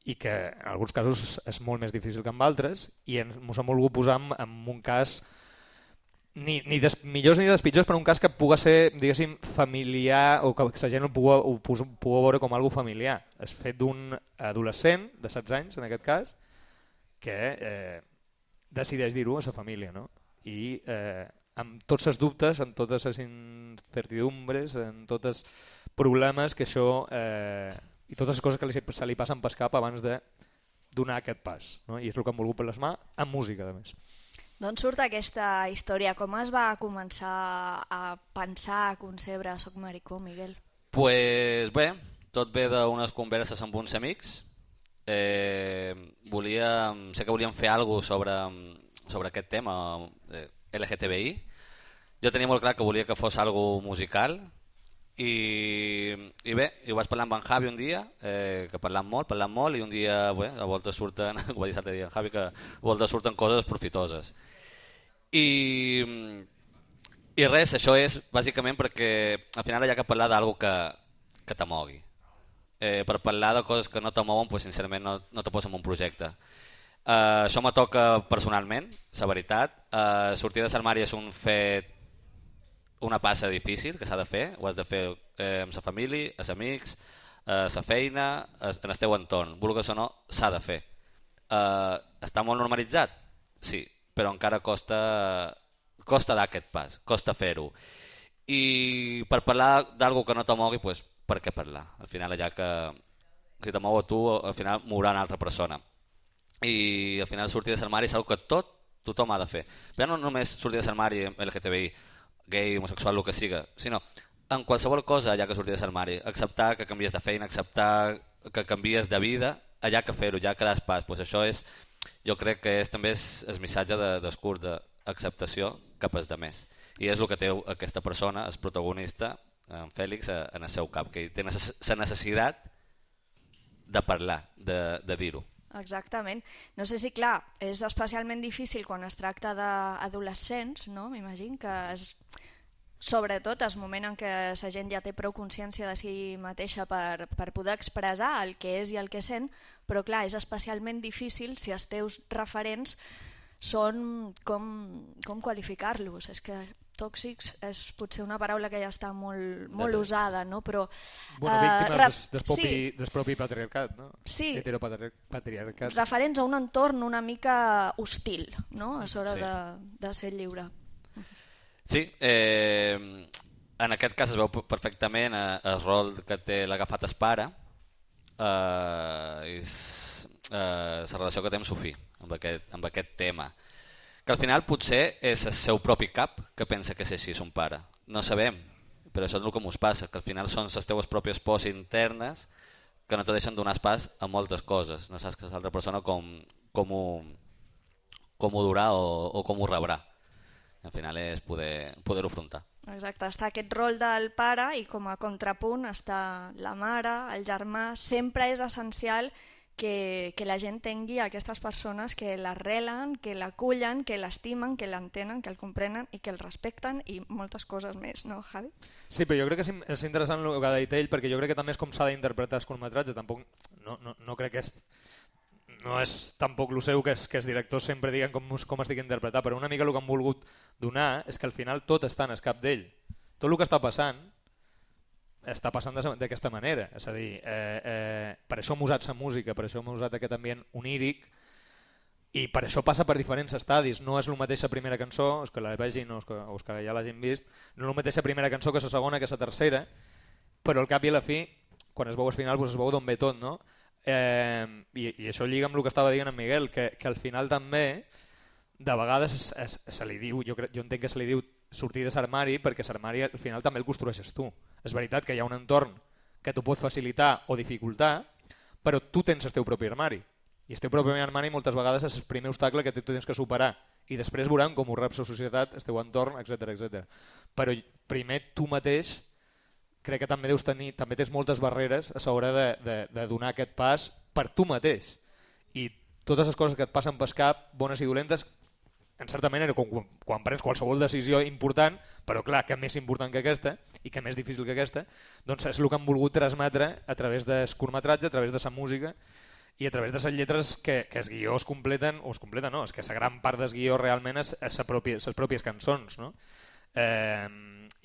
i que en alguns casos és, és molt més difícil que en altres i ens hem volgut posar en, en un cas ni, ni des millors ni des pitjors, però un cas que pugui ser, diguéssim, familiar o que la gent ho pugui, ho pugui veure com algo familiar. És fet d'un adolescent de setze anys, en aquest cas, que eh, decideix dir-ho a sa família, no? I eh, amb tots els dubtes, amb totes les incertidumbres, amb tots els problemes que això eh, i totes les coses que li, se li passen pel cap abans de donar aquest pas, no? I és el que hem volgut plasmar amb música, a més. D'on surt aquesta història? Com es va començar a pensar, a concebre Soc maricó, Miguel? Pues bé, tot ve d'unes converses amb uns amics. Eh, volia, sé que volíem fer alguna cosa sobre, sobre aquest tema eh, L G T B I. Jo tenia molt clar que volia que fos algo musical i, i bé, i ho vaig parlar amb en Javi un dia, eh, que parlant molt, parlant molt i un dia, bé, a voltes surten, ho va dir l'altre dia en Javi, que a voltes surten coses profitoses. I, i res, això és bàsicament perquè al final hi ha que parlar d'algo que, que t'amogui. Eh, per parlar de coses que no t'amouen, pues, sincerament no, no te poses en un projecte. Uh, això me toca personalment, la veritat. Uh, sortir de l'armari és un fet, una passa difícil que s'ha de fer. Ho has de fer eh, amb la família, els amics, eh, la feina, en el teu entorn. Vulguis o no, s'ha de fer. Uh, està molt normalitzat? Sí, però encara costa, costa dar aquest pas, costa fer-ho. I per parlar d'algo que no t'amogui, pues, per què parlar? Al final allà que si te mou a tu, al final mourà una altra persona. I al final sortir de l'armari és una que tot tothom ha de fer. Però no només sortir de l'armari L G T B I, gay, homosexual, el que siga, sinó en qualsevol cosa allà que sortir de l'armari. Acceptar que canvies de feina, acceptar que canvies de vida, allà que fer-ho, ja que das pas. Pues això és, jo crec que és, també és el missatge de, del curs d'acceptació cap als demés. I és el que té aquesta persona, el protagonista, en Fèlix, en el seu cap, que té la necessitat de parlar, de, de dir-ho. Exactament. No sé si, clar, és especialment difícil quan es tracta d'adolescents, no? M'imagino que és, sobretot, el moment en què la gent ja té prou consciència de si mateixa per, per poder expressar el que és i el que sent, però clar, és especialment difícil si els teus referents són, com, com qualificar-los? És que tòxics és potser una paraula que ja està molt, molt usada, no? Però, bueno, víctimes uh, ref... del, propi, sí. del propi patriarcat, no? Sí. Heteropatriarcat. Referents a un entorn una mica hostil, no? A l'hora sí. de, de ser lliure. Sí, eh, en aquest cas es veu perfectament el rol que té l'agafat es pare, eh, és eh, la relació que té amb Sofí, amb aquest, amb aquest tema. Que al final potser és el seu propi cap que pensa que és així son pare. No sabem, però això és el que ens passa, que al final són les teves pròpies pors internes que no te deixen donar pas a moltes coses. No saps que l'altra persona com, com, ho, com ho durà o, o com ho rebrà. Al final és poder, poder-ho afrontar. Exacte, està aquest rol del pare i com a contrapunt està la mare, el germà. Sempre és essencial Que, que la gent tingui aquestes persones que l'arrelen, que l'acullen, que l'estimen, que l'entenen, que el comprenen i que el respecten i moltes coses més, no, Javi? Sí, però jo crec que és interessant el que ha dit ell, perquè jo crec que també és com s'ha d'interpretar el curtmetratge. Tampoc, no, no, no crec que és... No és tampoc el seu que, és, que els directors sempre diguen com, com estic interpretar, però una mica el que han volgut donar és que al final tot està en el cap d'ell. Tot el que està passant està passant d'aquesta manera, és a dir, eh, eh, per això hem usat la música, per això hem usat aquest ambient oníric i per això passa per diferents estadis. No és el mateix la primera cançó, els que la vegin o els que, o els que ja l'hagin vist, no és el mateix la primera cançó que la segona, que la tercera, però al cap i a la fi, quan es veu al final, doncs es veu d'on ve tot, no? Eh, i, I això lliga amb el que estava dient en Miguel, que, que al final també, de vegades es, es, se li diu, jo, crec, jo entenc que se li diu sortir de l'armari perquè l'armari al final també el construeixes tu. És veritat que hi ha un entorn que t'ho pot facilitar o dificultar, però tu tens el teu propi armari. I el teu propi armari moltes vegades és el primer obstacle que tu tens que superar. I després veurem com ho reps la societat, el teu entorn, etcètera etcètera. Però primer tu mateix crec que també deus tenir, també tens moltes barreres a l'hora de, de, de donar aquest pas per tu mateix. I totes les coses que et passen pel cap, bones i dolentes, en certa manera, quan, quan prens qualsevol decisió important, però clar, que més important que aquesta i que més difícil que aquesta, doncs és el que han volgut transmetre a través del curtmetratge, a través de la música i a través de les lletres que, que el guió es completen, o es completen no, és que la gran part del guió realment és, és pròpia, les pròpies cançons, no? Eh,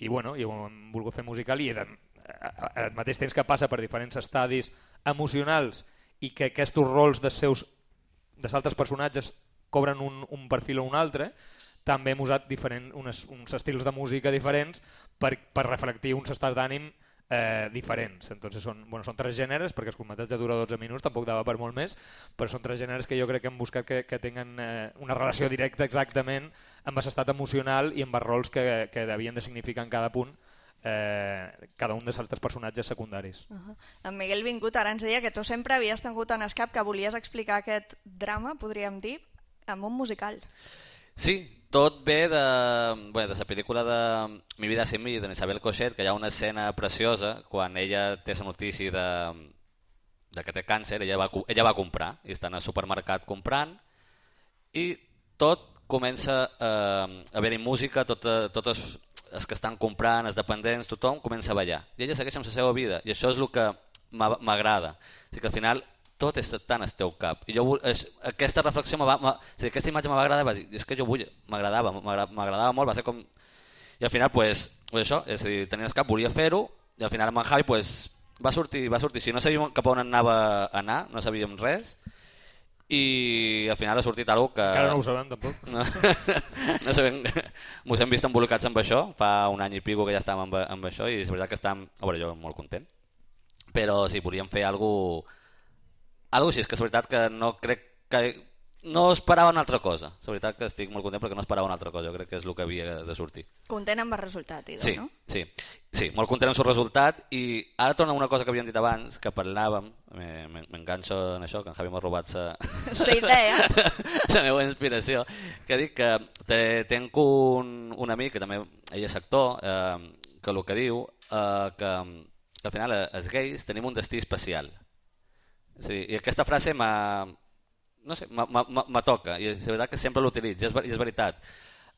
i bueno, i ho hem volgut fer musical i al mateix temps que passa per diferents estadis emocionals i que aquests rols dels seus dels altres personatges cobren un, un perfil o un altre, també hem usat diferent, unes, uns estils de música diferents per, per reflectir uns estats d'ànim eh, diferents. Entonces són, bueno, són tres gèneres, perquè el curtmetratge dura dotze minuts, tampoc dava per molt més, però són tres gèneres que jo crec que hem buscat que, que tinguin eh, una relació directa exactament amb l'estat emocional i amb els rols que, que havien de significar en cada punt eh, cada un dels altres personatges secundaris. Uh -huh. En Miguel Vingut ara ens deia que tu sempre havies tingut en el cap que volies explicar aquest drama, podríem dir, amb un musical. Sí, tot ve de, bé, de la pel·lícula de Mi vida sin mí, d'Isabel Cochet, que hi ha una escena preciosa quan ella té la notícia de, de que té càncer, ella va, ella va comprar i està en el supermercat comprant i tot comença eh, a haver-hi música, tot, tots els, els que estan comprant, els dependents, tothom comença a ballar i ella segueix amb la seva vida i això és el que m'agrada. O sigui que al final tot és tan al teu cap. I jo, és, aquesta reflexió, va, va, o sigui, aquesta imatge m'va agradar, va dir, és que jo vull, m'agradava, m'agradava molt, va ser com... I al final, pues, això, és a dir, tenia el cap, volia fer-ho, i al final amb en Javi, pues, va sortir, va sortir. Si no sabíem cap on anava a anar, no sabíem res, i al final ha sortit alguna que... Encara no ho sabem, tampoc. No, no sabem, mos hem vist embolcats amb això, fa un any i pico que ja estàvem amb, amb això, i és veritat que estàvem, a veure, jo molt content, però sí, volíem fer alguna cosa algo així, és que és veritat que no crec que... No esperava una altra cosa. És veritat que estic molt content perquè no esperava una altra cosa. Jo crec que és el que havia de sortir. Content amb el resultat, Ido, sí, no? Sí, sí, molt content amb el resultat. I ara torna una cosa que havíem dit abans, que parlàvem, m'enganxo en això, que en Javi m'ha robat la idea, la meva inspiració, que dic que tenc un, un amic, que també ell és actor, eh, que el que diu eh, que, que al final els gais tenim un destí especial. És a dir, i aquesta frase m'ha... no sé, me toca, i és veritat que sempre l'utilitzo, i és veritat.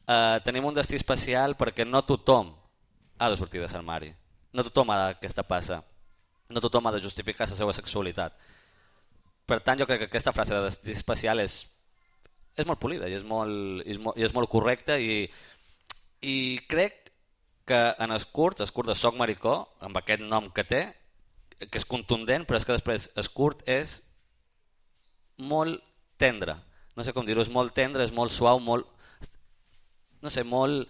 Uh, tenim un destí especial perquè no tothom ha de sortir de l'armari, no tothom ha d'aquesta passa, no tothom ha de justificar la seva sexualitat. Per tant, jo crec que aquesta frase de destí especial és, és molt polida i és molt, i és molt, i és molt correcta, i, i crec que en el curt, el curt de Soc Maricó, amb aquest nom que té, que és contundent, però és que després el curt és molt tendre, no sé com dir-ho, és molt tendre, és molt suau, molt, no sé, molt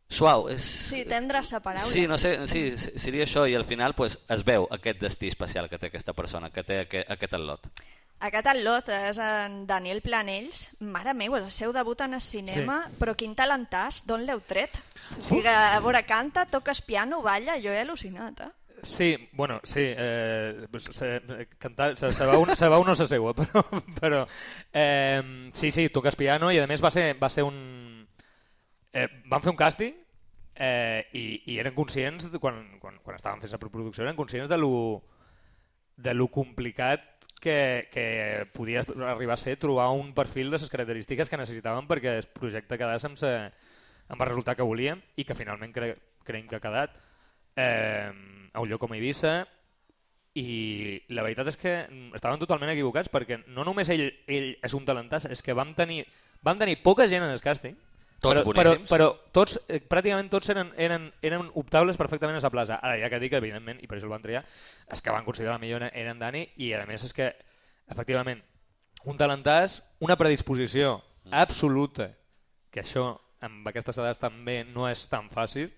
suau. És... Sí, tendre sa paraula. Sí, no sé, sí, seria això, i al final pues, es veu aquest destí especial que té aquesta persona, que té aquest, aquest al·lot. Aquest al·lot és en Daniel Planells. Mare meu, és el seu debut en el cinema, sí. Però quin talentàs, d'on l'heu tret? O sigui, a veure, canta, toques piano, balla, jo he al·lucinat, eh? Sí, bueno, sí, eh, se, cantar, se, se, va un, se va un no se seua, però, però eh, sí, sí, toques piano i a més va ser, va ser un... Eh, van fer un càsting eh, i, i eren conscients, de, quan, quan, quan estaven fent la preproducció, eren conscients de lo, de lo complicat que, que podia arribar a ser trobar un perfil de les característiques que necessitaven perquè el projecte quedés amb, se, amb el resultat que volíem i que finalment cre, creiem que ha quedat. Eh, a un lloc com Eivissa, i la veritat és que estaven totalment equivocats perquè no només ell, ell és un talentàs, és que vam tenir, vam tenir poca gent en el càsting, tots però, però, però tots, eh, pràcticament tots eren, eren, eren optables perfectament a la plaça. Ara ja que dic, evidentment, i per això el van triar, és que van considerar millor eren Dani, i a més és que, efectivament, un talentàs, una predisposició absoluta, que això amb aquestes edats també no és tan fàcil.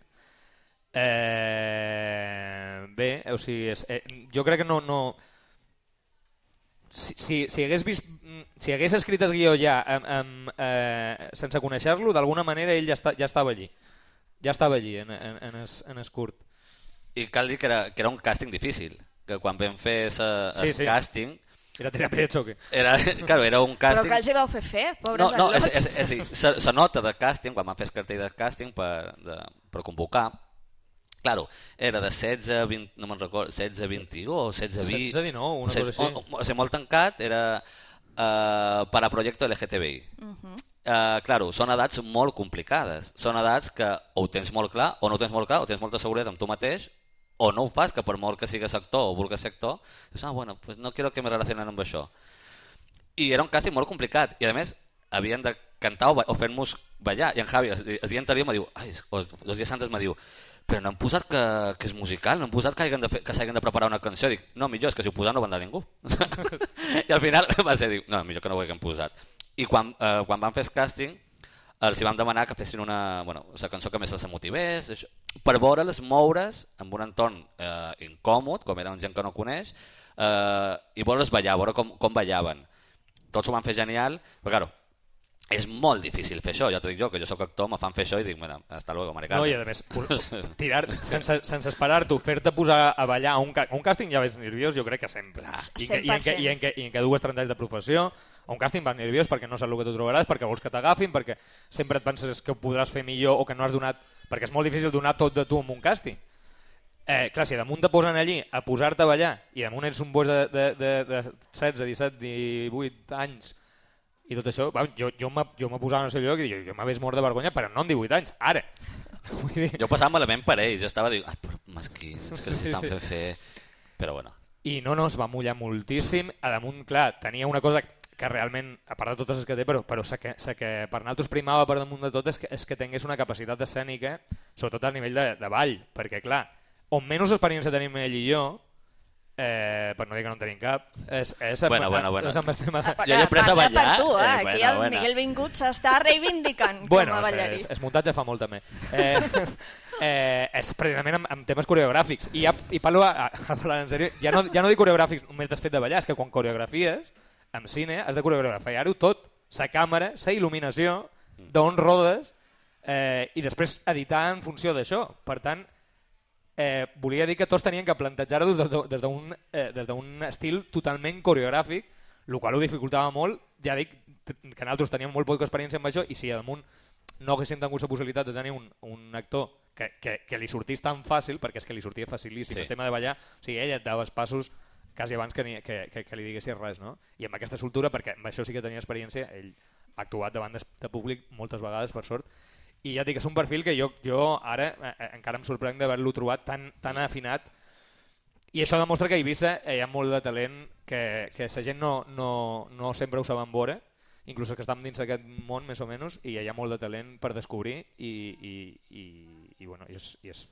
Eh, bé, o sigui, és, eh, jo crec que no... no si, si, si, hagués vist, si hagués escrit el guió ja amb, amb, eh, sense conèixer-lo, d'alguna manera ell ja, està, ja estava allí. Ja estava allí, en, en, en, es, en es curt. I cal dir que era, que era un càsting difícil, que quan vam fer el sí, sí. càsting... Era tirar per de xoque. Era, claro, era un càsting... Però que els hi vau fer fer, pobres no, no, al·lots. És, és, és, és, se nota de càsting, quan vam fer el cartell de càsting per, de, per convocar, claro, era de setze a vint, no me'n recordo, setze a vint-i-u o setze a vint... setze a dinou, una cosa així. O, o, o sigui, molt tancat, era uh, per a projecte L G T B I. Uh -huh. uh, claro, són edats molt complicades. Són edats que o ho tens molt clar, o no ho tens molt clar, o tens molta seguretat amb tu mateix, o no ho fas, que per molt que sigues actor o vulguis ser actor, dius, ah, bueno, pues no quiero que me relacionen amb això. I era un càsting molt complicat, i a més havien de cantar o, o fer-nos ballar, i en Javi, el dia anterior me diu, ai, els dies antes me diu, però no han posat que, que és musical, no han posat que hagin de, fer, que s'hagin de preparar una canció. Dic, no, millor, és que si ho posen no vendrà ningú. I al final va ser, dic, no, millor que no ho haguem posat. I quan, eh, quan van fer el càsting, els hi vam demanar que fessin una, bueno, la cançó que més els motivés, això, per veure'ls moure's en un entorn eh, incòmod, com eren gent que no coneix, eh, i veure'ls ballar, veure com, com ballaven. Tots ho van fer genial, però claro, és molt difícil fer això, ja t'ho dic jo, que jo sóc actor, me fan fer això i dic, bueno, hasta luego, Mari Carmen. No, i a més, tirar, sense, sense esperar-t'ho, fer-te posar a ballar a un, a un càsting ja ves nerviós, jo crec que sempre. I, que, i, en que, i, en que, I en que dues trenta anys de professió, a un càsting vas nerviós perquè no saps el que tu trobaràs, perquè vols que t'agafin, perquè sempre et penses que ho podràs fer millor o que no has donat... Perquè és molt difícil donar tot de tu en un càsting. Eh, clar, si damunt te posen allí a posar-te a ballar i damunt ets un boix de, de, de, de setze, disset, divuit anys i tot això, va, jo, jo m'he posat en el seu lloc i jo, jo m'hagués mort de vergonya, però no en divuit anys, ara. Vull dir... Jo passava malament per ells, jo estava dient, ai, però mesquins, és que s'hi estan fent fer... Però bueno. I no, no, es va mullar moltíssim, a damunt, clar, tenia una cosa que realment, a part de totes les que té, però, però sé que, sé que per nosaltres primava per damunt de tot és que, és que tingués una capacitat escènica, sobretot a nivell de, de ball, perquè clar, on menys experiència tenim ell i jo, Eh, per no dir que no en tenim cap. És, és, bueno, bueno, bueno. És amb el tema de... Jo he après a ballar. Per tu, eh? eh, Aquí bueno, el bueno. Miguel Vingut s'està reivindicant bueno, com a ballarí. És, és muntatge fa molt també. Eh, eh, és precisament amb, amb temes coreogràfics. I, ja, i parlo, a, a parlar en sèrio, ja no, ja no dic coreogràfics només has fet de ballar, és que quan coreografies, en cine, has de coreografiar-ho tot. Sa càmera, sa il·luminació, d'on rodes, eh, i després editar en funció d'això. Per tant, Eh, volia dir que tots tenien que plantejar-ho des d'un eh, des d'un estil totalment coreogràfic, el qual ho dificultava molt. Ja dic que nosaltres teníem molt poca experiència amb això i si a damunt no haguéssim tingut la possibilitat de tenir un, un actor que, que, que li sortís tan fàcil, perquè és que li sortia facilíssim, sí. El tema de ballar, o sigui, ell et dava els passos quasi abans que, ni, que, que, que li diguessis res, no? I amb aquesta soltura, perquè amb això sí que tenia experiència, ell ha actuat davant de, de públic moltes vegades, per sort. I ja dic que és un perfil que jo, jo ara eh, encara em sorprenc d'haver-lo trobat tan, tan afinat i això demostra que a Eivissa hi ha molt de talent que, que la gent no, no, no sempre ho saben veure, inclús que estem dins d'aquest món més o menys, i hi ha molt de talent per descobrir i, i, i, i, bueno, i és, i és,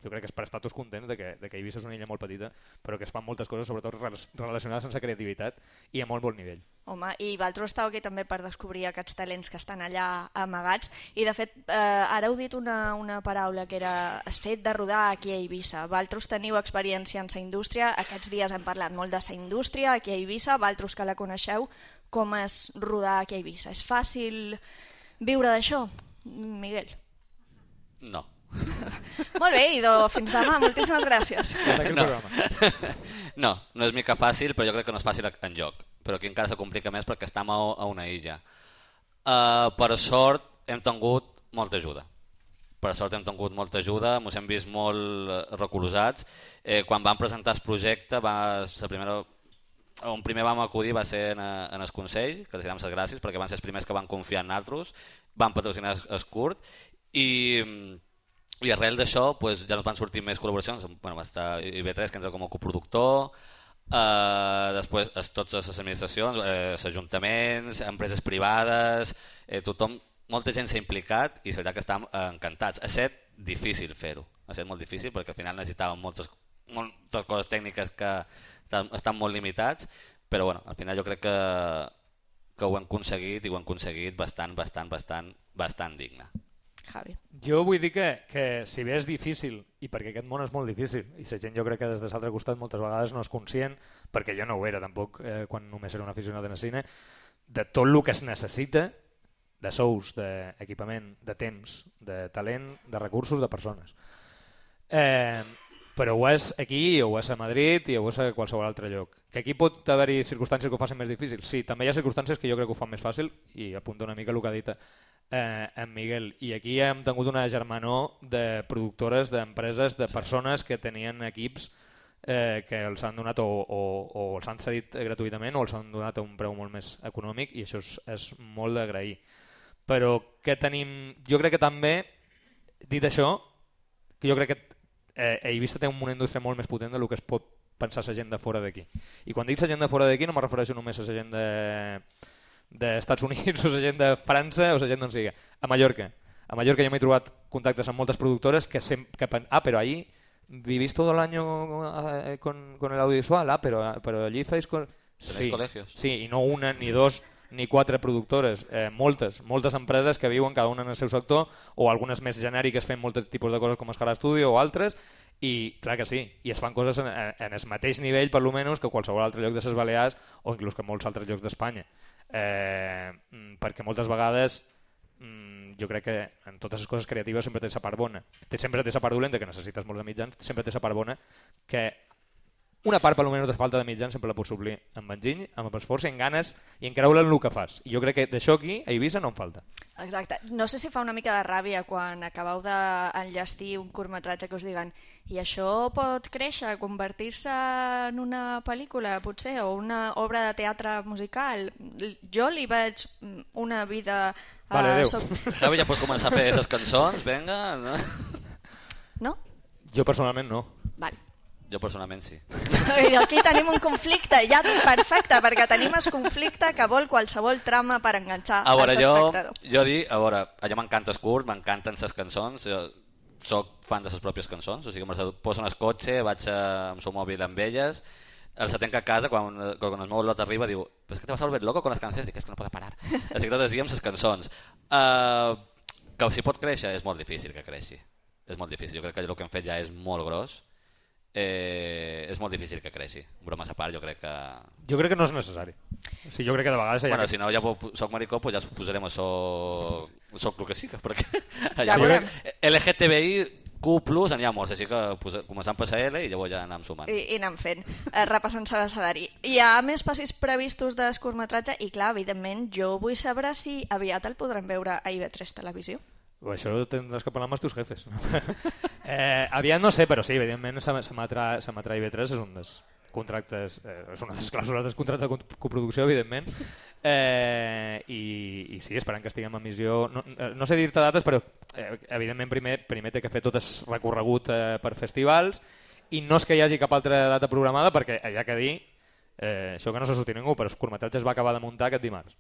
jo crec que és per estar tots contents de que, de que Eivissa és una illa molt petita però que es fan moltes coses, sobretot relacionades amb la creativitat i a molt bon nivell. Home, i vosaltres estàu aquí també per descobrir aquests talents que estan allà amagats i de fet eh, ara heu dit una, una paraula que era es fet de rodar aquí a Eivissa. Vosaltres teniu experiència en la indústria, aquests dies hem parlat molt de la indústria aquí a Eivissa, vosaltres que la coneixeu, com és rodar aquí a Eivissa? És fàcil viure d'això, Miguel? No. Molt bé, Ido, fins demà, moltíssimes gràcies. No. no, no és mica fàcil, però jo crec que no és fàcil enlloc. Però aquí encara se complica més perquè estem a, a una illa. Uh, per sort hem tingut molta ajuda. Per sort hem tingut molta ajuda, ens hem vist molt recolzats. Eh, quan vam presentar el projecte, va, la primera, on primer vam acudir va ser en, en el Consell, que els donem les gràcies perquè van ser els primers que van confiar en nosaltres, van patrocinar el curt i... I arrel d'això pues, ja ens van sortir més col·laboracions. Bueno, va estar I V tres que entra com a coproductor, eh, després es, totes les administracions, eh, els ajuntaments, empreses privades, eh, tothom, molta gent s'ha implicat i és veritat que estem eh, encantats. Ha estat difícil fer-ho, ha estat molt difícil perquè al final necessitàvem moltes, moltes coses tècniques que estan molt limitats, però bueno, al final jo crec que, que ho hem aconseguit i ho hem aconseguit bastant, bastant, bastant, bastant digne. Javi. Jo vull dir que, que si bé és difícil, i perquè aquest món és molt difícil, i la gent jo crec que des de l'altre costat moltes vegades no és conscient, perquè jo no ho era tampoc eh, quan només era un aficionat en el cine, de tot el que es necessita de sous, d'equipament, de temps, de talent, de recursos, de persones. Eh, però ho és aquí, o ho és a Madrid, i ho és a qualsevol altre lloc. Que aquí pot haver-hi circumstàncies que ho facin més difícil? Sí, també hi ha circumstàncies que jo crec que ho fan més fàcil, i apunta una mica el que ha dit eh, en Miguel. I aquí hem tingut una germanor de productores, d'empreses, de persones que tenien equips eh, que els han donat o, o, o els han cedit gratuïtament o els han donat a un preu molt més econòmic, i això és, és molt d'agrair. Però que tenim... Jo crec que també, dit això, que jo crec que eh, Eivissa té una indústria molt més potent del que es pot pensar la gent de fora d'aquí. I quan dic la gent de fora d'aquí no me refereixo només a la gent de d'Estats Units o la gent de França o la gent d'on sigui. A Mallorca. A Mallorca jo m'he trobat contactes amb moltes productores que, sem que pen... ah, però ahí vivís todo el año con, con el audiovisual, ah, pero, pero allí feis... Con... Sí, colegios. Sí, i no una, ni dos, ni quatre productores, eh, moltes, moltes empreses que viuen cada una en el seu sector, o algunes més genèriques fent molts tipus de coses com Escala Studio o altres, i clar que sí, i es fan coses en, en el mateix nivell per almenys que qualsevol altre lloc de les Balears o inclús que molts altres llocs d'Espanya. Eh, perquè moltes vegades mm, jo crec que en totes les coses creatives sempre té la part bona, té, sempre té la part dolenta que necessites molts de mitjans, sempre té la part bona que una part per almenys de falta de mitjans sempre la pots suplir amb enginy, amb esforç i amb ganes i en creure en el que fas, i jo crec que d'això aquí a Eivissa no en falta. Exacte, no sé si fa una mica de ràbia quan acabeu d'enllestir un curtmetratge que us diguen i això pot créixer, convertir-se en una pel·lícula potser o una obra de teatre musical. Jo li veig una vida... Vale, adéu. Soc... Javi, ja pots començar a fer aquestes cançons, vinga. No? No? Jo personalment no. Vale. Jo personalment sí. I aquí tenim un conflicte, ja perfecte, perquè tenim el conflicte que vol qualsevol trama per enganxar a veure, l'espectador. Jo, jo dic, a veure, allò m'encanta el curt, m'encanten les cançons, jo soc fan de les pròpies cançons, o sigui, me les poso en el cotxe, vaig a, amb el mòbil amb elles, el se tanca a casa, quan, quan el meu lot arriba, diu, però és que te vas a volver loco con les canciones, dic, és que no pot parar. Així que tot el dia amb les cançons. Uh, que si pot créixer, és molt difícil que creixi. És molt difícil, jo crec que el que hem fet ja és molt gros. Eh, és molt difícil que creixi. Bromes a part, jo crec que... Jo crec que no és necessari. O sigui, jo crec que de vegades... Bueno, que... si no ja soc maricó, pues ja posarem això... Soc el que sí, perquè... Ja veurem. L G T B I Q plus n'hi ha molts, així que començant per L i llavors ja anem sumant. I, i anem fent, eh, repassant l'abecedari. Hi ha més passis previstos de curtmetratge i, clar, evidentment, jo vull saber si aviat el podrem veure a I V tres Televisió. Això tindràs que parlar amb els teus jefes. eh, aviat no sé, però sí, evidentment s'emetrà I V tres, és un dels contractes, eh, és una de les clàusules del contracte de coproducció, evidentment, eh, i, i sí, esperant que estiguem en missió. No, no sé dir-te dates, però eh, evidentment primer, primer té que fer tot el recorregut eh, per festivals, i no és que hi hagi cap altra data programada, perquè hi ha que dir, eh, això que no se sortit ningú, però el curtmetratge es va acabar de muntar aquest dimarts.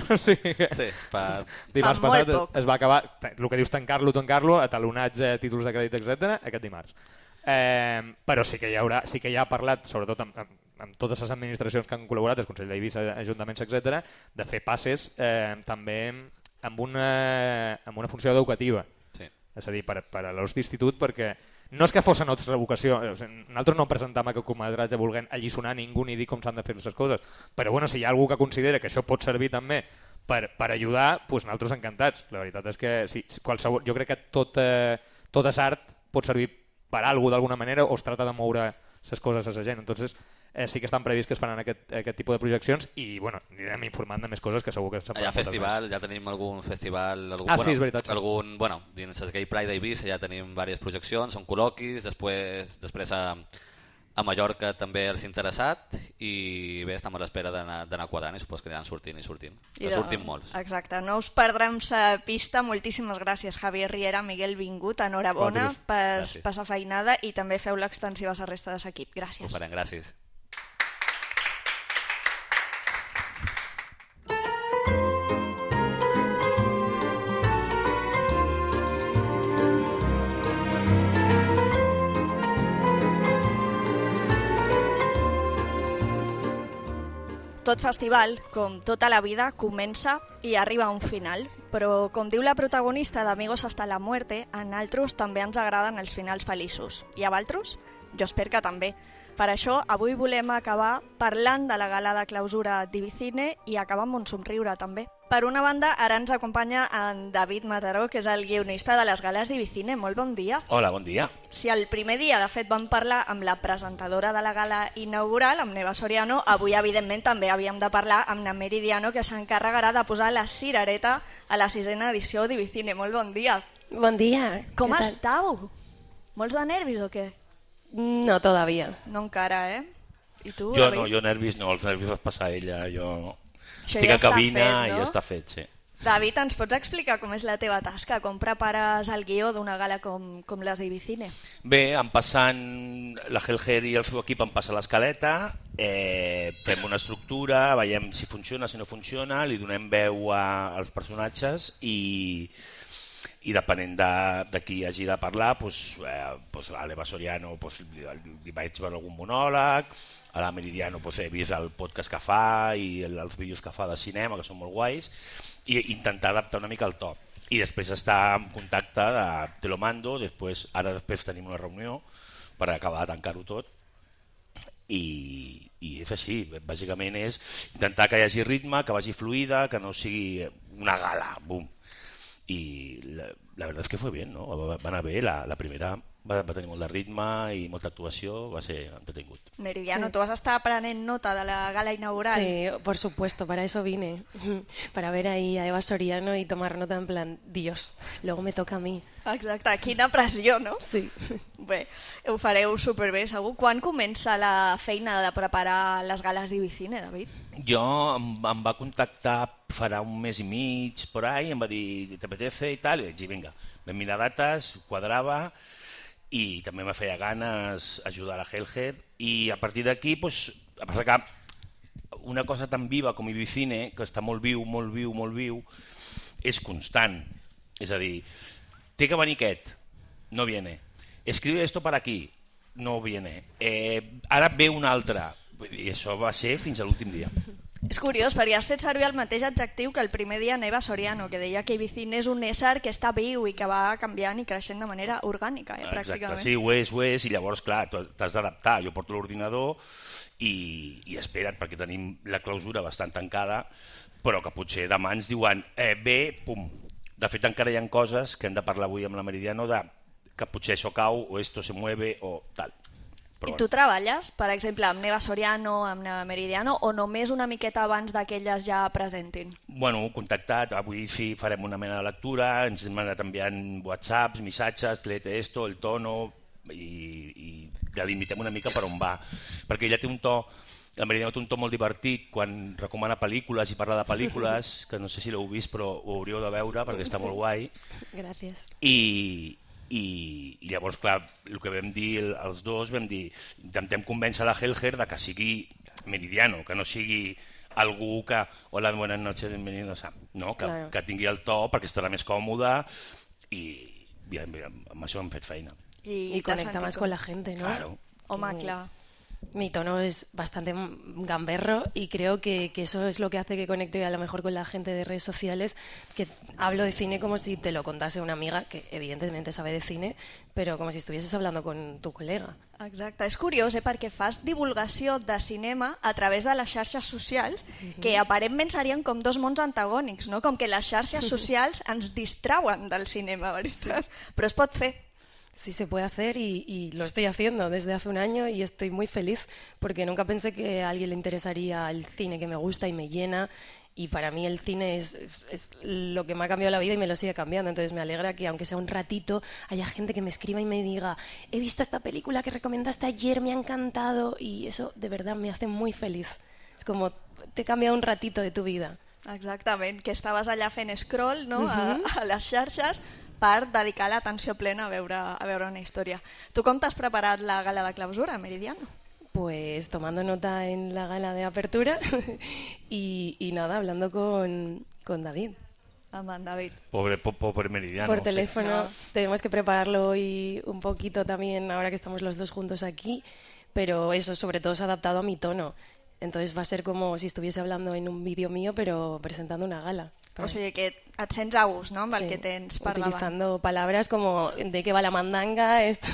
O sigui que, sí, fa... dimarts fa passat molt poc. Es va acabar, el que dius tancar-lo, tancar-lo, atalonatge, títols de crèdit, etcètera, aquest dimarts. Eh, però sí que hi haurà, sí que ja ha parlat, sobretot amb, amb, amb totes les administracions que han col·laborat, el Consell d'Eivissa, ajuntaments, etcètera, de fer passes eh, també amb una, amb una funció educativa. Sí. És a dir, per, per a l'ús d'institut, perquè no és que fos a nostra vocació, nosaltres no presentam aquest curtmetratge volent alliçonar ningú ni dir com s'han de fer les coses, però bueno, si hi ha algú que considera que això pot servir també per, per ajudar, doncs nosaltres encantats. La veritat és que sí, qualsevol, jo crec que tot, eh, tot és art pot servir per alguna d'alguna manera o es trata de moure les coses a la gent. Entonces, eh, sí que estan previst que es faran aquest, aquest tipus de projeccions i bueno, anirem informant de més coses que segur que se'n Hi ha festival, ja tenim algun festival, algun, ah, bueno, sí, és veritat, sí. algun, bueno, dins el Gay Pride d'Eivissa ja tenim diverses projeccions, són col·loquis, després, després a, a Mallorca també els interessat i bé, estem a l'espera d'anar quadrant i supos que aniran sortint i sortint. I de... sortim molts. Exacte, no us perdrem sa pista. Moltíssimes gràcies, Javier Riera, Miguel Vingut, enhorabona per, per sa feinada i també feu l'extensiva a la resta de l'equip. Gràcies. Ho farem, gràcies. Tot festival, com tota la vida, comença i arriba a un final. Però, com diu la protagonista d'Amigos hasta la muerte, a naltros també ens agraden els finals feliços. I a valtros? Jo espero que també. Per això, avui volem acabar parlant de la gala de clausura d'Ivicine i acabar amb un somriure també. Per una banda, ara ens acompanya en David Mataró, que és el guionista de les gales d'Ivicine. Molt bon dia. Hola, bon dia. Si el primer dia, de fet, vam parlar amb la presentadora de la gala inaugural, amb Neva Soriano, avui, evidentment, també havíem de parlar amb na Meridiano, que s'encarregarà de posar la cirereta a la sisena edició d'Ivicine. Molt bon dia. Bon dia. Com estàu? Molts de nervis o què? No, todavía. No encara, eh? I tu, Jo David? no, jo nervis no, els nervis els passa ella, jo... Això Estic ja a cabina està fet, no? i ja està fet, sí. David, ens pots explicar com és la teva tasca? Com prepares el guió d'una gala com, com les d'Ivicine? Bé, em passant la Helger i el seu equip em passa l'escaleta, eh, fem una estructura, veiem si funciona, si no funciona, li donem veu a, als personatges i, i depenent de, de qui hagi de parlar, doncs, eh, doncs a l'Eva Soriano doncs, li, li vaig veure algun monòleg, a la Meridiano doncs, he vist el podcast que fa i el, els vídeos que fa de cinema, que són molt guais, i intentar adaptar una mica el to. I després estar en contacte de te lo mando, després, ara després tenim una reunió per acabar de tancar-ho tot, i, i és així, bàsicament és intentar que hi hagi ritme, que vagi fluida, que no sigui una gala, bum. I la, la verdad es que fue bien, ¿no? Va, va anar bé, la, la primera va, va tenir molt de ritme i molta actuació, va ser entretingut. Meridiano, Sí. tu vas estar prenent nota de la gala inaugural. Sí, por supuesto, para eso vine. Para ver ahí a Eva Soriano y tomar nota en plan, Dios, luego me toca a mí. Exacte, quina pressió, no? Sí. Bé, ho fareu superbé, segur. Quan comença la feina de preparar les gales d'Ivicine, David? Jo em, em va contactar farà un mes i mig, por ahí, em va dir, ¿te apetece? I tal, i vaig dir, vinga, vam mirar dates, quadrava, i també me feia ganes ajudar a la Helger, i a partir d'aquí, pues, a passar que una cosa tan viva com Ivicine, que està molt viu, molt viu, molt viu, és constant. És a dir, té que venir aquest, no viene. Escribe esto para aquí, no viene. Eh, ara ve un altre, I això va ser fins a l'últim dia. És curiós, perquè has fet servir el mateix adjectiu que el primer dia Neva Soriano, que deia que Ibicine és un ésser que està viu i que va canviant i creixent de manera orgànica, eh, pràcticament. Exacte, sí, ho és, ho és, i llavors, clar, t'has d'adaptar. Jo porto l'ordinador i, i espera't, perquè tenim la clausura bastant tancada, però que potser demà ens diuen eh, bé, pum. De fet, encara hi ha coses que hem de parlar avui amb la Meridiano de que potser això cau o esto se mueve o tal. I tu treballes, per exemple, amb Neva Soriano, amb Neva Meridiano, o només una miqueta abans que elles ja presentin? Bueno, contactat, avui sí farem una mena de lectura, ens hem anat enviant whatsapps, missatges, léete esto, el tono, i, i delimitem una mica per on va. Perquè ella té un to, la Meridiano té un to molt divertit quan recomana pel·lícules i parla de pel·lícules, que no sé si l'heu vist però ho hauríeu de veure perquè està molt guai. Gràcies. I... I, i llavors, clar, el que vam dir els dos, vam dir, intentem convèncer la Helger de que sigui Meridiano, que no sigui algú que, hola, buenas noches, bienvenidos, no, que, claro. Que tingui el to perquè estarà més còmode i, i amb això hem fet feina. Y, y conecta más con la gente, ¿no? Claro. Home, clar. Mi tono es bastante gamberro y creo que, que eso es lo que hace que conecte a lo mejor con la gente de redes sociales, que hablo de cine como si te lo contase una amiga que evidentemente sabe de cine, però com si estuvieses hablando con tu col·lega. Exacte, és curiós, eh, perquè fas divulgació de cinema a través de les xarxes socials, uh-huh. que aparentment serien com dos mons antagònics, no? Com que les xarxes socials ens distrauen del cinema, veritat? Però es pot fer. Sí, se puede hacer y, y lo estoy haciendo desde hace un año y estoy muy feliz porque nunca pensé que a alguien le interesaría el cine que me gusta y me llena, y para mí el cine es, es, es lo que me ha cambiado la vida y me lo sigue cambiando. Entonces me alegra que aunque sea un ratito haya gente que me escriba y me diga he visto esta película que recomendaste ayer, me ha encantado, y eso de verdad me hace muy feliz. Es como te cambia un ratito de tu vida. Exactament, que estaves allà fent scroll, no? Uh-huh. a, a les xarxes per dedicar l'atenció plena a veure, a veure una història. Tu com t'has preparat la gala de clausura, Meridiano? Pues tomando nota en la gala de apertura y, y nada, hablando con, con David. Amb en David. Pobre, po, pobre Meridiano. Por teléfono. Sí. Tenemos que prepararlo hoy un poquito también ahora que estamos los dos juntos aquí, pero eso sobre todo se ha adaptado a mi tono. Entonces va a ser como si estuviese hablando en un vídeo mío, pero presentando una gala. O sigui que et sents a gust, no?, amb el sí, que tens per utilizando davant. palabras como de qué va la mandanga. Esto.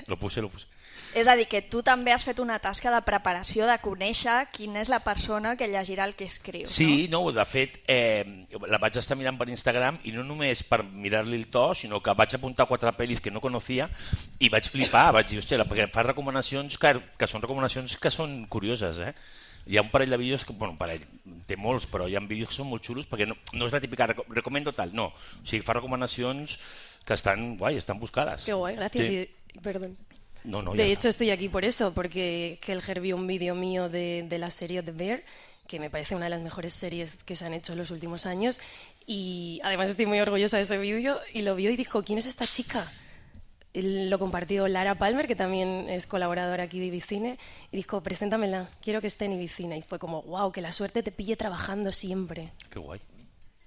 Lo puse, lo puse. És a dir, que tu també has fet una tasca de preparació, de conèixer quina és la persona que llegirà el que escriu. Sí, no, no de fet, eh, la vaig estar mirant per Instagram i no només per mirar-li el to, sinó que vaig apuntar quatre pel·lis que no coneixia i vaig flipar, vaig dir, hòstia, perquè fa recomanacions que, que són recomanacions que són curioses, eh? Hi ha un parell de vídeos, que, bueno, un parell, té molts, però hi ha vídeos que són molt xulos perquè no, no és la típica recomendo tal, no. O sigui, fa recomanacions que estan guai, estan buscades. Qué guay, gracias. Sí. Y, perdón. No, no, de ya hecho, está. estoy aquí por eso, porque Helger vio un vídeo mío de, de la serie The Bear, que me parece una de las mejores series que se han hecho en los últimos años, y además estoy muy orgullosa de ese vídeo, y lo vio y dijo, ¿quién es esta chica? Lo compartió Lara Palmer, que también es colaboradora aquí de Ibicine, y dijo, preséntamela, quiero que esté en Ibicine. Y fue como, wow, que la suerte te pille trabajando siempre. Que guai,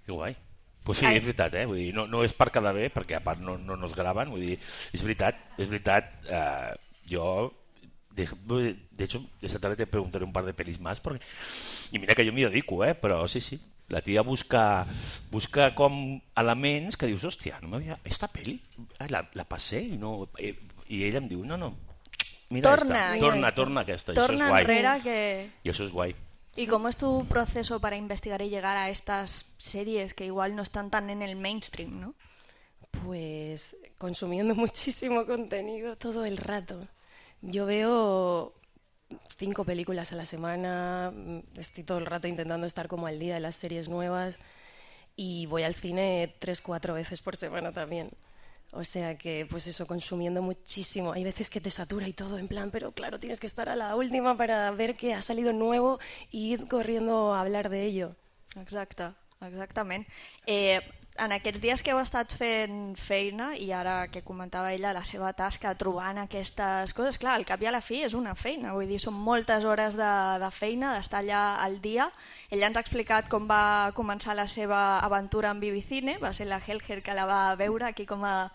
que guai. Pues sí, és veritat, eh? Vull dir, no, no és per quedar bé, perquè a part no, no nos graven, vull dir, és veritat, és veritat, eh, jo, de, de hecho, esta tarde te preguntaré un par de pelis más, porque, i mira que jo m'hi dedico, eh? Però sí, sí, la tia busca, busca com elements que dius, hòstia, no m'havia... Esta peli la, la passé i no... Eh, i ella em diu, no, no, mira torna, esta, torna, torna aquesta, torna i això és guai. enrere que... I això és guai. ¿Y cómo es tu proceso para investigar y llegar a estas series que igual no están tan en el mainstream, ¿no? Pues consumiendo muchísimo contenido todo el rato. Yo veo cinco películas a la semana, estoy todo el rato intentando estar como al día de las series nuevas y voy al cine tres, cuatro veces por semana también. O sea que, pues eso, consumiendo muchísimo. Hay veces que te satura y todo, en plan, pero claro, tienes que estar a la última para ver que ha salido nuevo y ir corriendo a hablar de ello. Exacte, exactament. Eh, en aquests dies que heu estat fent feina, i ara que comentava ella la seva tasca trobant aquestes coses, clar, al cap i a la fi és una feina, vull dir, són moltes hores de, de feina, d'estar allà al dia. Ella ens ha explicat com va començar la seva aventura amb Ibicine, va ser la Helger que la va veure aquí com a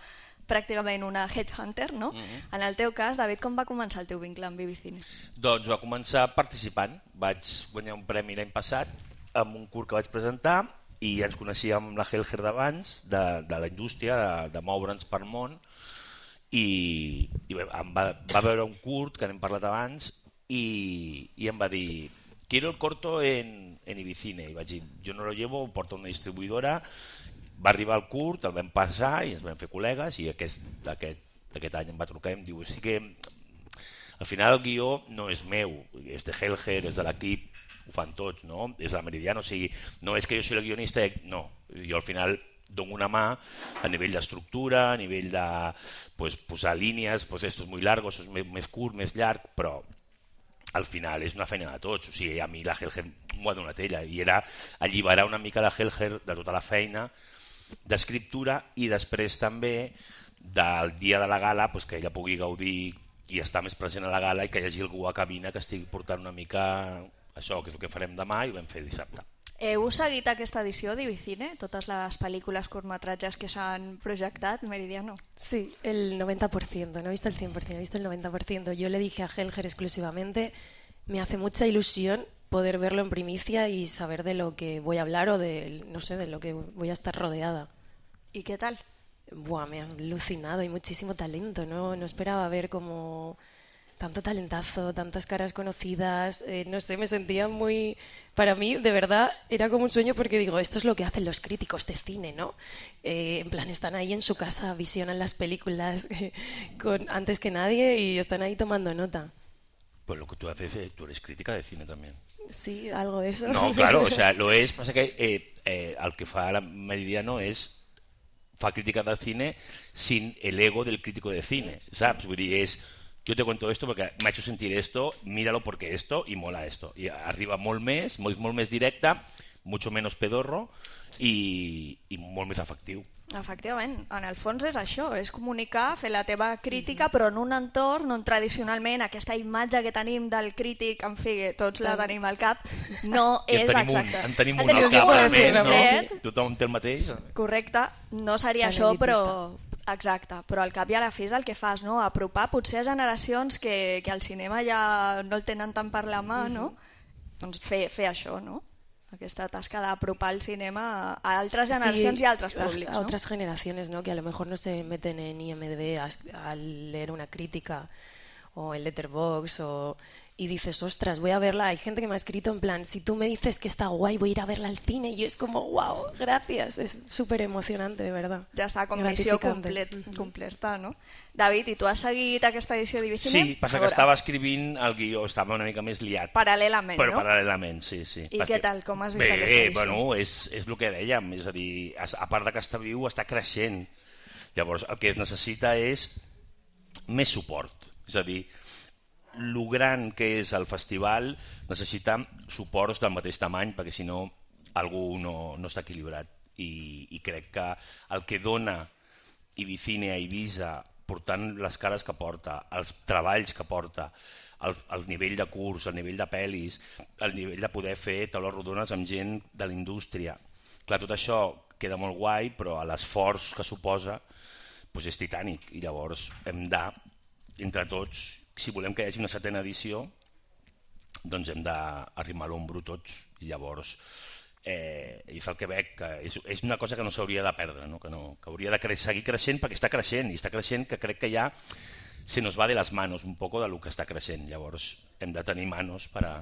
pràcticament una headhunter, no? Mm-hmm. En el teu cas, David, com va començar el teu vincle amb Vivicine? Doncs va començar participant. Vaig guanyar un premi l'any passat amb un curt que vaig presentar i ens coneixíem la Helger d'abans, de, de la indústria, de, de moure'ns per món, i, i bé, em va, va veure un curt que n'hem parlat abans i, i em va dir quiero el corto en, en Ibicine, i vaig dir jo no lo llevo, ho porta una distribuïdora. Va arribar el curt, el vam passar i ens vam fer col·legues i aquest, aquest, aquest any em va trucar i em diu sí que al final el guió no és meu, és de Helger, és de l'equip, ho fan tots, no? És la Meridiano, o sigui, no és que jo sigui el guionista, no, jo al final dono una mà a nivell d'estructura, a nivell de pues, posar línies, pues esto es muy largo, això és més, més curt, més llarg, però al final és una feina de tots, o sigui, a mi la Helger m'ho ha donat ella i era alliberar una mica la Helger de tota la feina d'escriptura i després també del dia de la gala pues, que ella pugui gaudir i estar més present a la gala i que hi hagi algú a cabina que estigui portant una mica això, que és el que farem demà i ho vam fer dissabte. Heu seguit aquesta edició d'Ibicine? Totes les pel·lícules curtmetratges que s'han projectat, Meridiano? Sí, el noventa por ciento, no he visto el cien por ciento, he visto el noventa por ciento. Yo le dije a Helger exclusivamente, me hace mucha ilusión poder verlo en primicia y saber de lo que voy a hablar o de, no sé, de lo que voy a estar rodeada. ¿Y qué tal? Buah, me ha alucinado, hay muchísimo talento, no, no esperaba ver como tanto talentazo, tantas caras conocidas, eh, no sé, me sentía muy... Para mí, de verdad, era como un sueño porque digo, esto es lo que hacen los críticos de cine, ¿no? Eh, en plan, están ahí en su casa, visionan las películas eh, con, antes que nadie y están ahí tomando nota. Pues lo que tú haces, eh, tú eres crítica de cine también. Sí, algo de eso. No, claro, o sea, lo es, pasa que eh, eh, el que fa la Meridiano és fa crítica de cine sin el ego del crítico de cine, saps? Vull dir, és yo te cuento esto porque me ha hecho sentir esto, míralo porque esto y mola esto. I arriba molt més, molt, molt més directa, mucho menos pedorro i, i molt més efectiu. Efectivament, en el fons és això, és comunicar, fer la teva crítica, però en un entorn on tradicionalment aquesta imatge que tenim del crític, en fi, tots la tenim al cap, no I és en tenim exacte. Un, en tenim En un al tenim cap, un, almenys, no? fred. Tothom té el mateix. Correcte, no seria Tan això, elitista. però... Exacte, però al cap i a la fi és el que fas, no? Apropar potser a generacions que, que el cinema ja no el tenen tant per la mà, no? Doncs fer, fer això, no? Aquesta tasca d'apropar el cinema a altres generacions Sí, y a altres públics, a, ¿no? a otras generaciones, ¿no? Que a lo mejor no se meten en I M D B a, a leer una crítica o en Letterboxd o, y dices, ostras, voy a verla. Hay gente que me ha escrito en plan, si tú me dices que está guay, voy a ir a verla al cine. Y es como, wow, gracias. Es súper emocionante, de verdad. Ja està, com missió complet, completa, no? David, i tu has seguit aquesta edició d'Ibicine? Sí, passa que estava escrivint el guió, estava una mica més liat. Paral·lelament, Però no? paral·lelament, sí, sí. I què tal, com has vist Bé, aquesta edició? Bueno, és, és el que dèiem, és a dir, a part de que està viu, està creixent. Llavors, el que es necessita és més suport. És a dir, el gran que és el festival necessita suports del mateix tamany, perquè si no, algú no, no està equilibrat. I, I crec que el que dona Ibicine a Ibiza, portant les cares que porta, els treballs que porta, el, el nivell de curs, el nivell de pel·lis, el nivell de poder fer taules rodones amb gent de la indústria. Clar, tot això queda molt guai, però l'esforç que suposa doncs és titànic. I llavors hem de, entre tots, si volem que hi hagi una setena edició, doncs hem d'arrimar l'ombro tots. I llavors eh, és el que veig, que és, és una cosa que no s'hauria de perdre, no? Que, no, que hauria de cre seguir creixent perquè està creixent, i està creixent que crec que ja se nos va de les manos un poco de lo que està creixent. Llavors hem de tenir manos per a,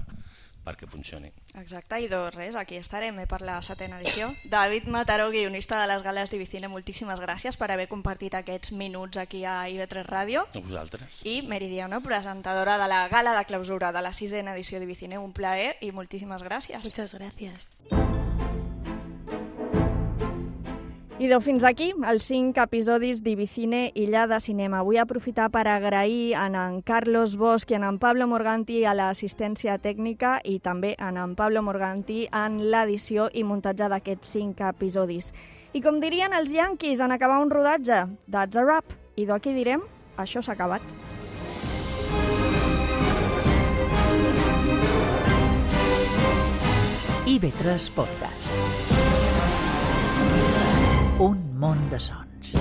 perquè funcioni. Exacte, i doncs res, aquí estarem eh, per la setena edició. David Mataró, guionista de les gales d'Ibicine, moltíssimes gràcies per haver compartit aquests minuts aquí a I V tres Ràdio. A vosaltres. I Meridiano, presentadora de la gala de clausura de la sisena edició d'Ibicine, un plaer i moltíssimes gràcies. Muchas gracias. I doncs fins aquí els cinc episodis d'Ibicine Illa de Cinema. Vull aprofitar per agrair a en Carlos Bosch i a en Pablo Morganti a l'assistència tècnica i també a en Pablo Morganti en l'edició i muntatge d'aquests cinc episodis. I com dirien els yanquis en acabar un rodatge, that's a wrap. I d'aquí direm, això s'ha acabat. I V tres Podcast. Un món de sons.